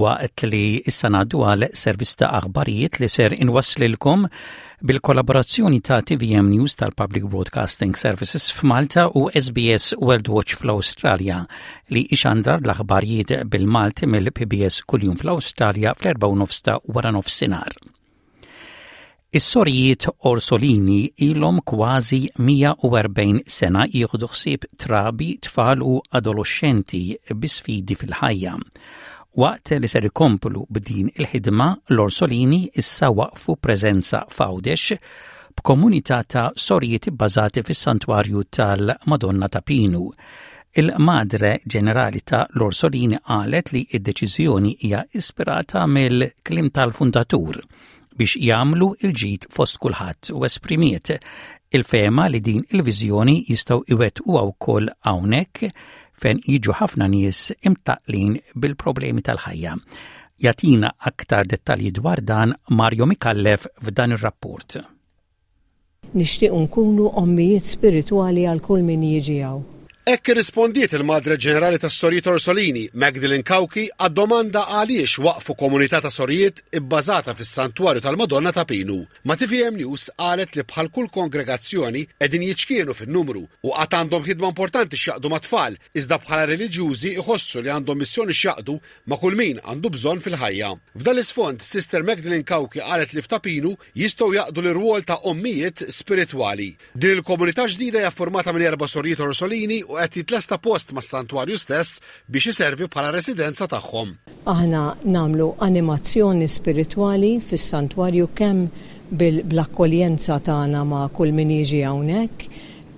waqt li issa ngħaddu għal servizz ta' aħbarijiet li ser inwasslilkom Bil-kollaborazzjoni ta' TVM News tal-Public Broadcasting Services f'Malta u SBS World Watch fl-Awstralja li ixandar l-aħbarijiet bil-Malti mill-PBS kuljum fl-Awstralja fl-4 ta' wara nofsinhar. Is-sorijiet Orsolini ilhom kważi 140 sena jieħdu ħsieb trabi, tfal u adoloxxenti bi sfidi fil-ħajja. Waqt li ser ikomplu b'din il-ħidma, l-Orsolini issa waqqfu preżenza f'Għawdex b'komunità ta' sorijiet ibbażati fis-Santwarju tal-Madonna ta' Pinu. Il-Madre Ġenerali ta' l-Orsolini qalet li d-deċiżjoni hija ispirata mill-kliem tal-fundatur biex jagħmlu l-ġid fost kulħadd u esprimiet il-fehma li din il-viżjoni jistgħu iwettquha wkoll hawnhekk fejn jiġu ħafna nies imtaqqlin bil-problemi tal-ħajja. Jagħtina aktar dettalji dwar dan Mario Micallef f'dan ir-rapport. Nixtiequ nkunu ommijiet spiritwali għal kull min jiġi hawn. Hekk irrispondiet il-Madre Ġenerali tas-Sorijiet Orsolini, Magdalene Cauchi, għad-domanda għaliex waqqfu komunità ta' sorijiet ibbażata fis-Santwarju tal-Madonna ta' Pinu. Ma' tvm News qalet li bħal kull kongregazzjoni qegħdin jiċkienu fin-numru u għad għandhom ħidma importanti x'jaqdu mat-tfal, iżda bħala reliġjużi jħossu li għandhom missjoni x'jaqdu ma' kull min għandu bżonn fil-ħajja. F'dan l-isfond, Sister Magdalene Cauchi qalet li f'Ta' Pinu jistgħu jaqdu l-irwol ta' ommijiet spiritwali. Din il-komunità ġdida hija ffurmata minn erba' sorijiet Orsolini u qed jitlesta post mas-santwarju stess biex iservi bħala residenza tagħhom. Aħna nagħmlu animazzjoni spiritwali fis-santwarju kemm bl-akkoljenza tagħna ma' kull min jiġi hawnhekk,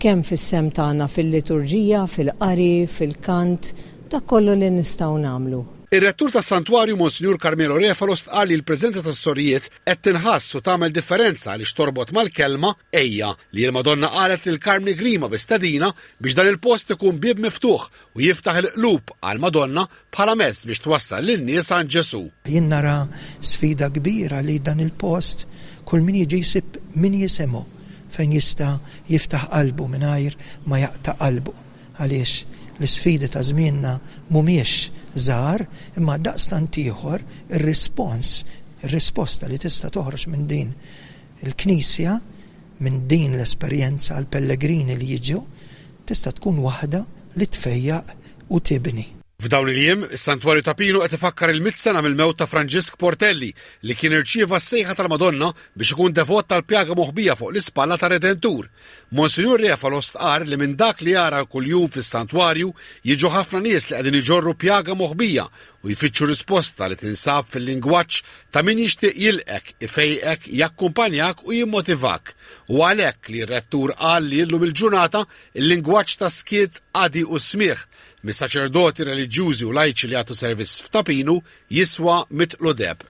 kemm fis-sehem tagħna fil-liturġija, fil-qari, fil-kant, Dak kollu li nistgħu nagħmlu. Ir-Rettur tas-Santwarju Monsinjur Carmelo Refalo stqarr li l-preżenza tas-sorijiet qed tinħass u tagħmel differenza għaliex torbot mal-kelma Ejja li l-Madonna qalet lil Karmni Grima bi stedina biex dan il-post ikun bieb miftuħ u jiftaħ il-qlub għall-Madonna bħala mezz biex twassal lin-nies għand Ġesù. Jien nara sfida kbira li dan il-post kull min jiġi jsib min jisimgħu fejn jista' jiftaħ qalbu mingħajr ma jaqta' qalbu. Għaliex l-isfidi ta' żmienna mhumiex żgħar, imma daqstant ieħor ir-rispons, ir-risposta li tista' toħroġ minn din il-Knisja, minn din l-esperjenza għall-pellegrini li jiġu, tista' tkun waħda li tfejjaq u tibni. F'dawn il-jiem, is-Santwarju ta' Pinu qed ifakkar il-mitt sena mill-mewt ta' Franġisk Portelli li kien irċieva s-sejħa tal-Madonna biex ikun devot tal-pjaga moħbija fuq l-ispalla tar-Redentur. Monsinjur Refalo stqarr li minn dak li jara kuljum fis-santwarju jiġu ħafna nies li qegħdin iġorru pjaga moħbija u jfittxu risposta li tinsab fil-lingwaġġ ta' min jixtieq jilqek, ifejqek, jakkumpanjak u jimmotivak. U għalhekk li r-rettur qal li illum il-ġurnata il-lingwaġġ ta' skiet, qadi u smigħ mis-saċerdoti reliġjużi u lajċi li jagħtu servizz f'Ta' Pinu jiswa mitqlu deheb.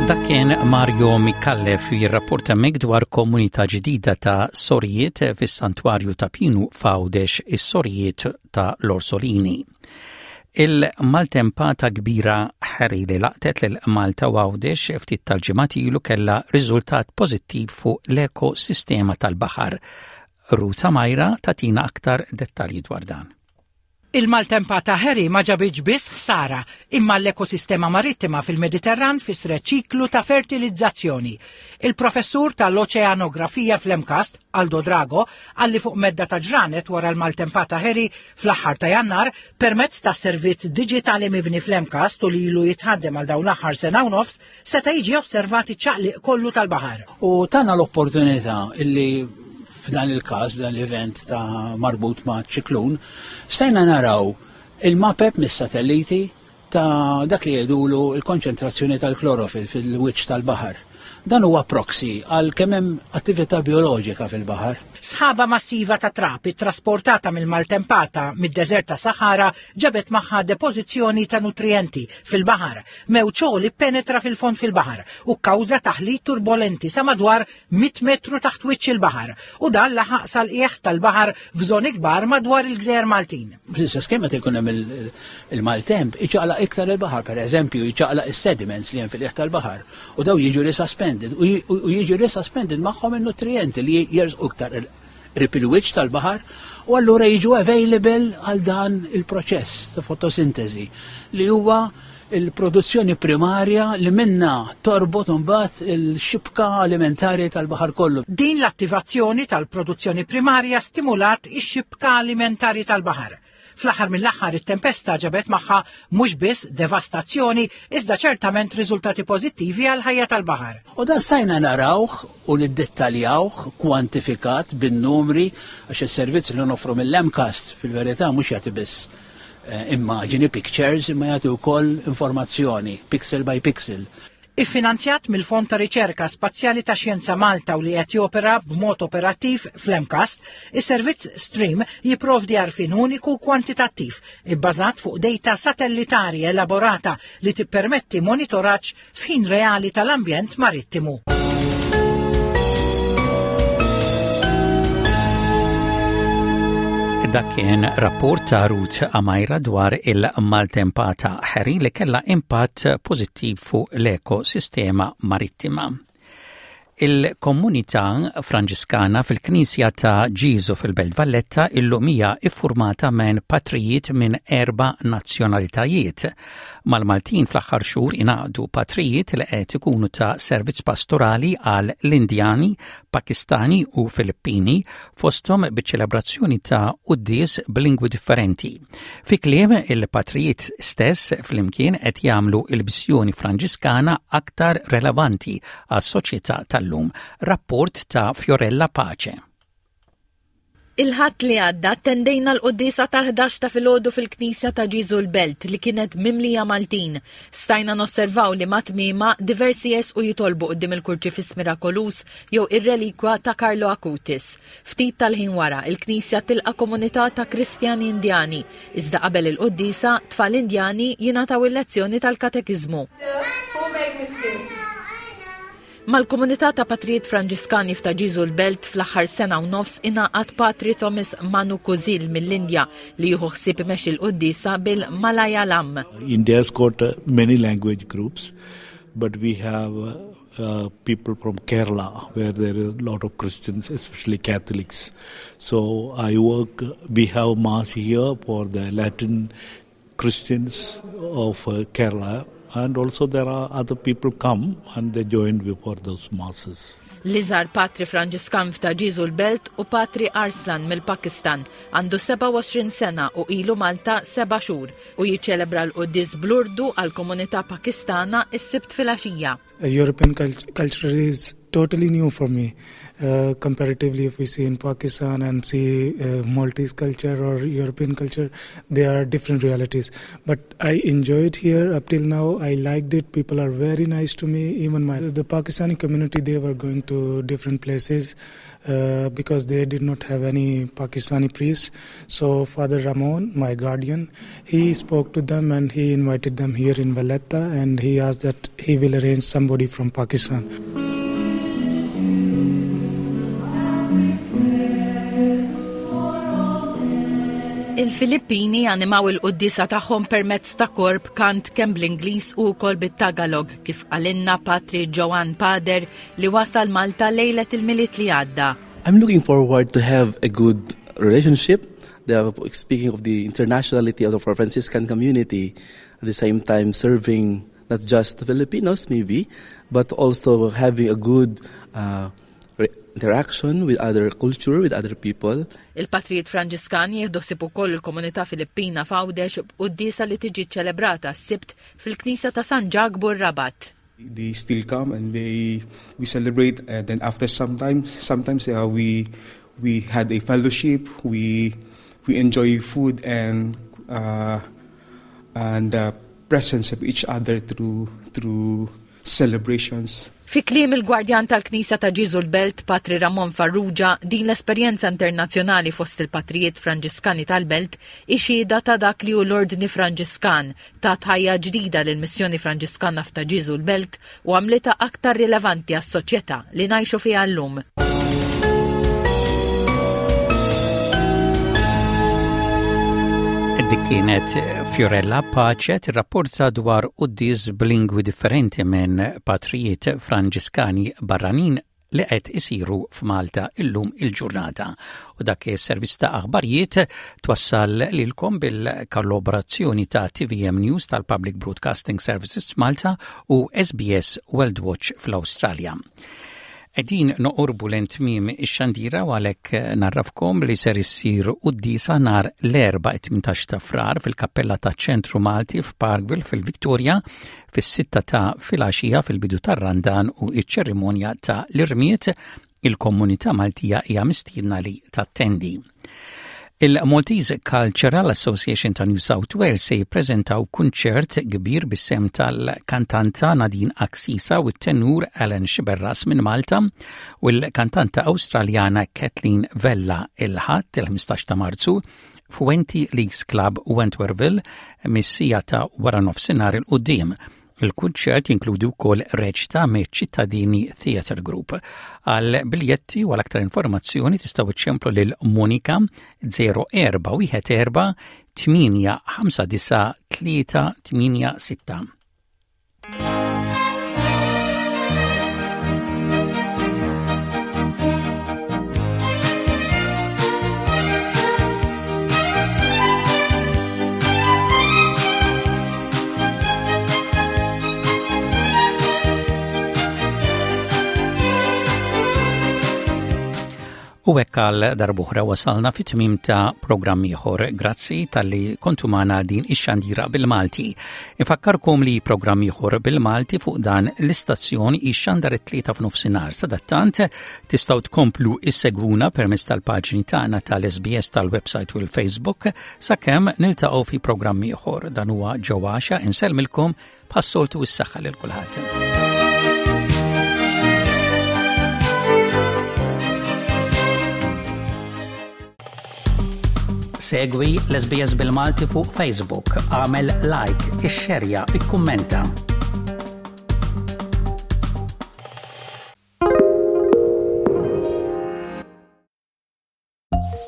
Dak kien Mario Micallef jirrapporta mek dwar komunità ġdida ta' sorijiet fis-Santwarju ta' Pinu f'Għawdex is-sorijiet ta' l-Orsolini. Il-maltempata kbira Harry li laqtet lil Malta u Għawdex ftit tal-ġimgħat ilu kellha riżultat pożittiv fuq l-ekosistema tal-baħar. Ruta Majra tatina aktar dettalji dwar dan. Il-maltempata Harry ma ġabitx biss ħsara, imma l-ekosistema marittima fil-Mediterran fissret ċiklu ta' fertilizzazzjoni. Il-professur tal-oċeanografija fl-MCAST, Aldo Drago, qal li fuq medda ta' ġranet wara l-maltempata Harry fl-aħħar ta' Jannar, permezz ta' servizz diġitali mibni fl-MCAST u li ilu jitħaddem għal dawn l-aħħar sena u nofs, seta' jiġi osservat iċ-ċaqliq kollu tal-baħar. U tana l-opportunità illi f'dan il-każ, f'dan l-event ta' marbut ma' ċiklun, stajna naraw il-mapep mis-satelliti ta' dak li jgħidulu l-konċentrazzjoni tal-klorofil fil-wiċċ tal-baħar. Dan huwa proxy għal kemm hemm attività bijoloġika fil-baħar. Sħaba massiva ta' trab ittrasportata mill-maltempata mid-deżert ta' Sahara ġabet magħha depożizzjoni ta' nutrijenti fil-baħar. Mewġ għoli ppenetra fil-fond fil-baħar u kkawża taħlit turbolenti sa madwar 100 metru taħt wiċċ il-baħar u dan laħaq sal-qiegħ tal-baħar f'żoni kbar madwar il-gżejjer Maltin. Fl-istess kemm meta jkun hemm il-maltemp, iċaqlaq iktar il-baħar, pereżempju, iċaqlaq is-sediments li hemm fil-qiegħ tal-baħar u daw jiġu resuspended u jiġu resuspended magħhom in-nutrijenti li jersqu iktar qrib il-wiċċ tal-baħar u allura jiġu available għal dan il-proċess ta' fotosintesi li huwa il-produzzjoni primarja li minnha torbot imbagħad il-xibka alimentari tal-baħar kollu. Din l-attivazzjoni tal-produzzjoni primarja stimulat ix-xibka alimentari tal-baħar. Fl-aħħar mill-aħħar it-tempesta ġabet magħha mhux biss devastazzjoni iżda ċertament riżultati pożittivi għall-ħajja tal-baħar. U dan stajna narawh u niddettaljawh, kwantifikat bin-numri, għax is-servizz li noffru mill-MCAST fil-verità mhux jagħti biss eh, immaġini, pictures, imma jagħti wkoll informazzjoni, pixel by pixel. Iffinanzjat mill-Fond ta' Riċerka Spazjali ta' Xjenza Malta u li qed jopera b'mod operattiv fl-MCAST, is-servizz Stream jipprovdi għarfien uniku u kwantitattiv ibbażat fuq dejta satellitari elaborata li tippermetti monitoraġġ f'ħin reali tal-ambjent marittimu. Dak kien rapport ta' Ruth Amajra dwar il-maltempata Harry li kellha impatt pożittiv fuq l-ekosistema marittima. Il-komunità Franġiskana fil-Knisja ta' Ġieżu fil-Belt Valletta illum hija iffurmata minn patrijiet minn erba' nazzjonalitajiet. Mal-Maltin fl-aħħar xhur ingħaqdu patrijiet li qed ikunu ta' servizz pastorali għal l-Indjani, Pakistani u Filippini fosthom biċ-ċelebrazzjoni ta' quddies b'lingwi differenti. Fi kliem il-patrijiet stess flimkien qed jagħmlu l-missjoni Franġiskana aktar relevanti għas-soċjetà tal-lum. Rapport ta' Fiorella Pace. Il-Ħadd li għadda attendejna l-quddiesa tal-ħdax ta' filgħodu fil-Knisja ta' Ġieżu l-Belt li kienet mimlija Maltin. Stajna nosservaw li ma' tmiemha diversi jersqu jitolbu quddiem il-Kurċifiss Mirakoluż jew ir-relikwa ta' Carlo Acutis. Ftit tal-ħin wara, il-knisja tilqa' komunità ta' Kristjani Indjani, iżda qabel il-quddiesa, tfal Indjani jingħataw il-lezzjoni tal-katekiżmu. Mal-komunità ta' patrijiet Franġiskani f'Ta' Ġieżu l-Belt fl-aħħar sena u nofs ingħaqad Patri Thomas Manu Kuzil mill-Indja li jieħu ħsieb imexxi l-quddiesa bil-Malayalam. India's got many language groups, but we have uh, people from Kerala, where there are a lot of Christians, especially Catholics. So I work, we have mass here for the Latin Christians of uh, Kerala, and also there are other people come and they join before those masses. L-iżgħar patri Franġiskan f'Ta' Ġieżu l-Belt u Patri Arslan mill-Pakistan għandu 27 sena u ilu Malta seba' xhur u jiċċelebra l-quddies bl-Urdu għall-komunità Pakistana s-Sibt filgħaxija. European culture is totally new for me. Uh, comparatively, if we see in Pakistan and see uh, Maltese culture or European culture, they are different realities. But I enjoyed here up till now. I liked it. People are very nice to me. Even my the Pakistani community, they were going to different places. Uh, because they did not have any Pakistani priests. So Father Ramon, my guardian, he spoke to them and he invited them here in Valletta and he asked that he will arrange somebody from Pakistan. Il-Filippini animaw il-quddiesa tagħhom permezz ta' kor b'kant kemm bl-Ingliż u wkoll bit-Tagalog, kif qalilna Patri Joan Pader li wasal Malta lejlet il-Milied li għadda. I'm looking forward to have a good relationship. The, speaking of the internationality of the Franciscan community, at the same time serving not just the Filipinos maybe, but also having a good uh, interaction with other culture, with other people. Il-Patrijiet Franġiskani jieħdu ħsieb ukoll il-komunità Filippina f'Għawdex b'quddiesa li tiġi ċċelebrata s-Sibt fil-Knisja ta' San Ġakbu r-Rabat. They still come and they we celebrate and then after some time sometimes uh, we we had a fellowship we we enjoy food and uh, and the presence of each other through through celebrations. Fi kliem il-Gwardjan tal-Knisja ta' Ġieżu l-Belt, Patri Ramon Farrugia, din l-esperjenza internazzjonali fost il-Patrijiet Franġiskani tal-Belt hi xhieda ta' dak li hu l-Ordni Franġiskan, tat ħajja ġdida lill-Missjoni Franġiskana f'Ta' Ġieżu l-Belt u għamlitha aktar rilevanti għas-soċjetà li ngħixu fiha llum. Dik kienet Fiorella Pace tirrapporta dwar quddies b'lingwi differenti minn patrijiet Franġiskani barranin li qed isiru f'Malta illum il-ġurnata. U dak is-servizz ta' aħbarijiet twassal lilkom bil-kollaborazzjoni ta' TVM News tal-Public Broadcasting Services Malta u SBS World Watch fl-Awstralja. Qegħdin noqorbu lejn tmiem ix-xandira u għalhekk narrafkom li ser issir quddiesa nhar l-Erbgħa 18 ta' Frar fil-Kappella taċ-Ċentru Malti f'Parkville fil-Victoria fis-sitta ta' filgħaxija fil-bidu tar-Randan u ċ-ċerimonja ta' l-irmied il-komunità Maltija hija mistiedna li tattendi. Il-Maltese Cultural Association ta' New South Wales se jippreżentaw kunċert kbir bis-sehem tal-kantanta Nadine Axisa u t-tenur Alan Sciberras minn Malta u l-kantanta Awstraljana Kathleen Vella il-Ħadd il-15 ta' Marzu f'Wenty Leagues Club Wentworthville mis-siegħa ta' waranofsinhar 'il quddiem. Il-kunċert jinkludi wkoll reċta miċ-Ċittadini Theatre Group. Għal biljetti u għal aktar informazzjoni tistgħu iċċemplu lil Monika 0414 859 386. U hekk għal darbuħra wasalna fit tmim ta' programm ieħor. Grazzi talli kontu magħna din ix-xandira bil-Malti. Infakkarkom li programm ieħor bil-Malti fuq dan l-istazzjon ixxandar it-tlieta f'nofsinhar. Sadattant tistgħu tkomplu issegwuna permezz tal-paġni tagħna tal-SBS tal-website u l-Facebook Sakemm niltaqgħu fi programm ieħor dan huwa ġewwaxa insellmilkom bħas-soltu s-saħħa lil kulħadd. Segwi l-SBS bil-Malti fuq Facebook, għamel like, ixxerja, ikkummenta.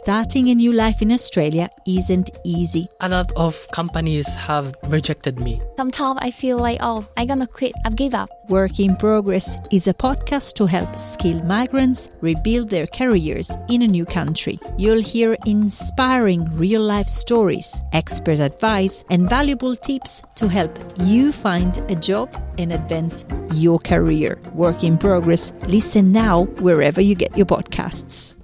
Starting a new life in Australia isn't easy. A lot of companies have rejected me. Sometimes I feel like, oh, I'm gonna quit, I've give up. Work in Progress is a podcast to help skilled migrants rebuild their careers in a new country. You'll hear inspiring real life stories, expert advice, and valuable tips to help you find a job and advance your career. Work in Progress. Listen now wherever you get your podcasts.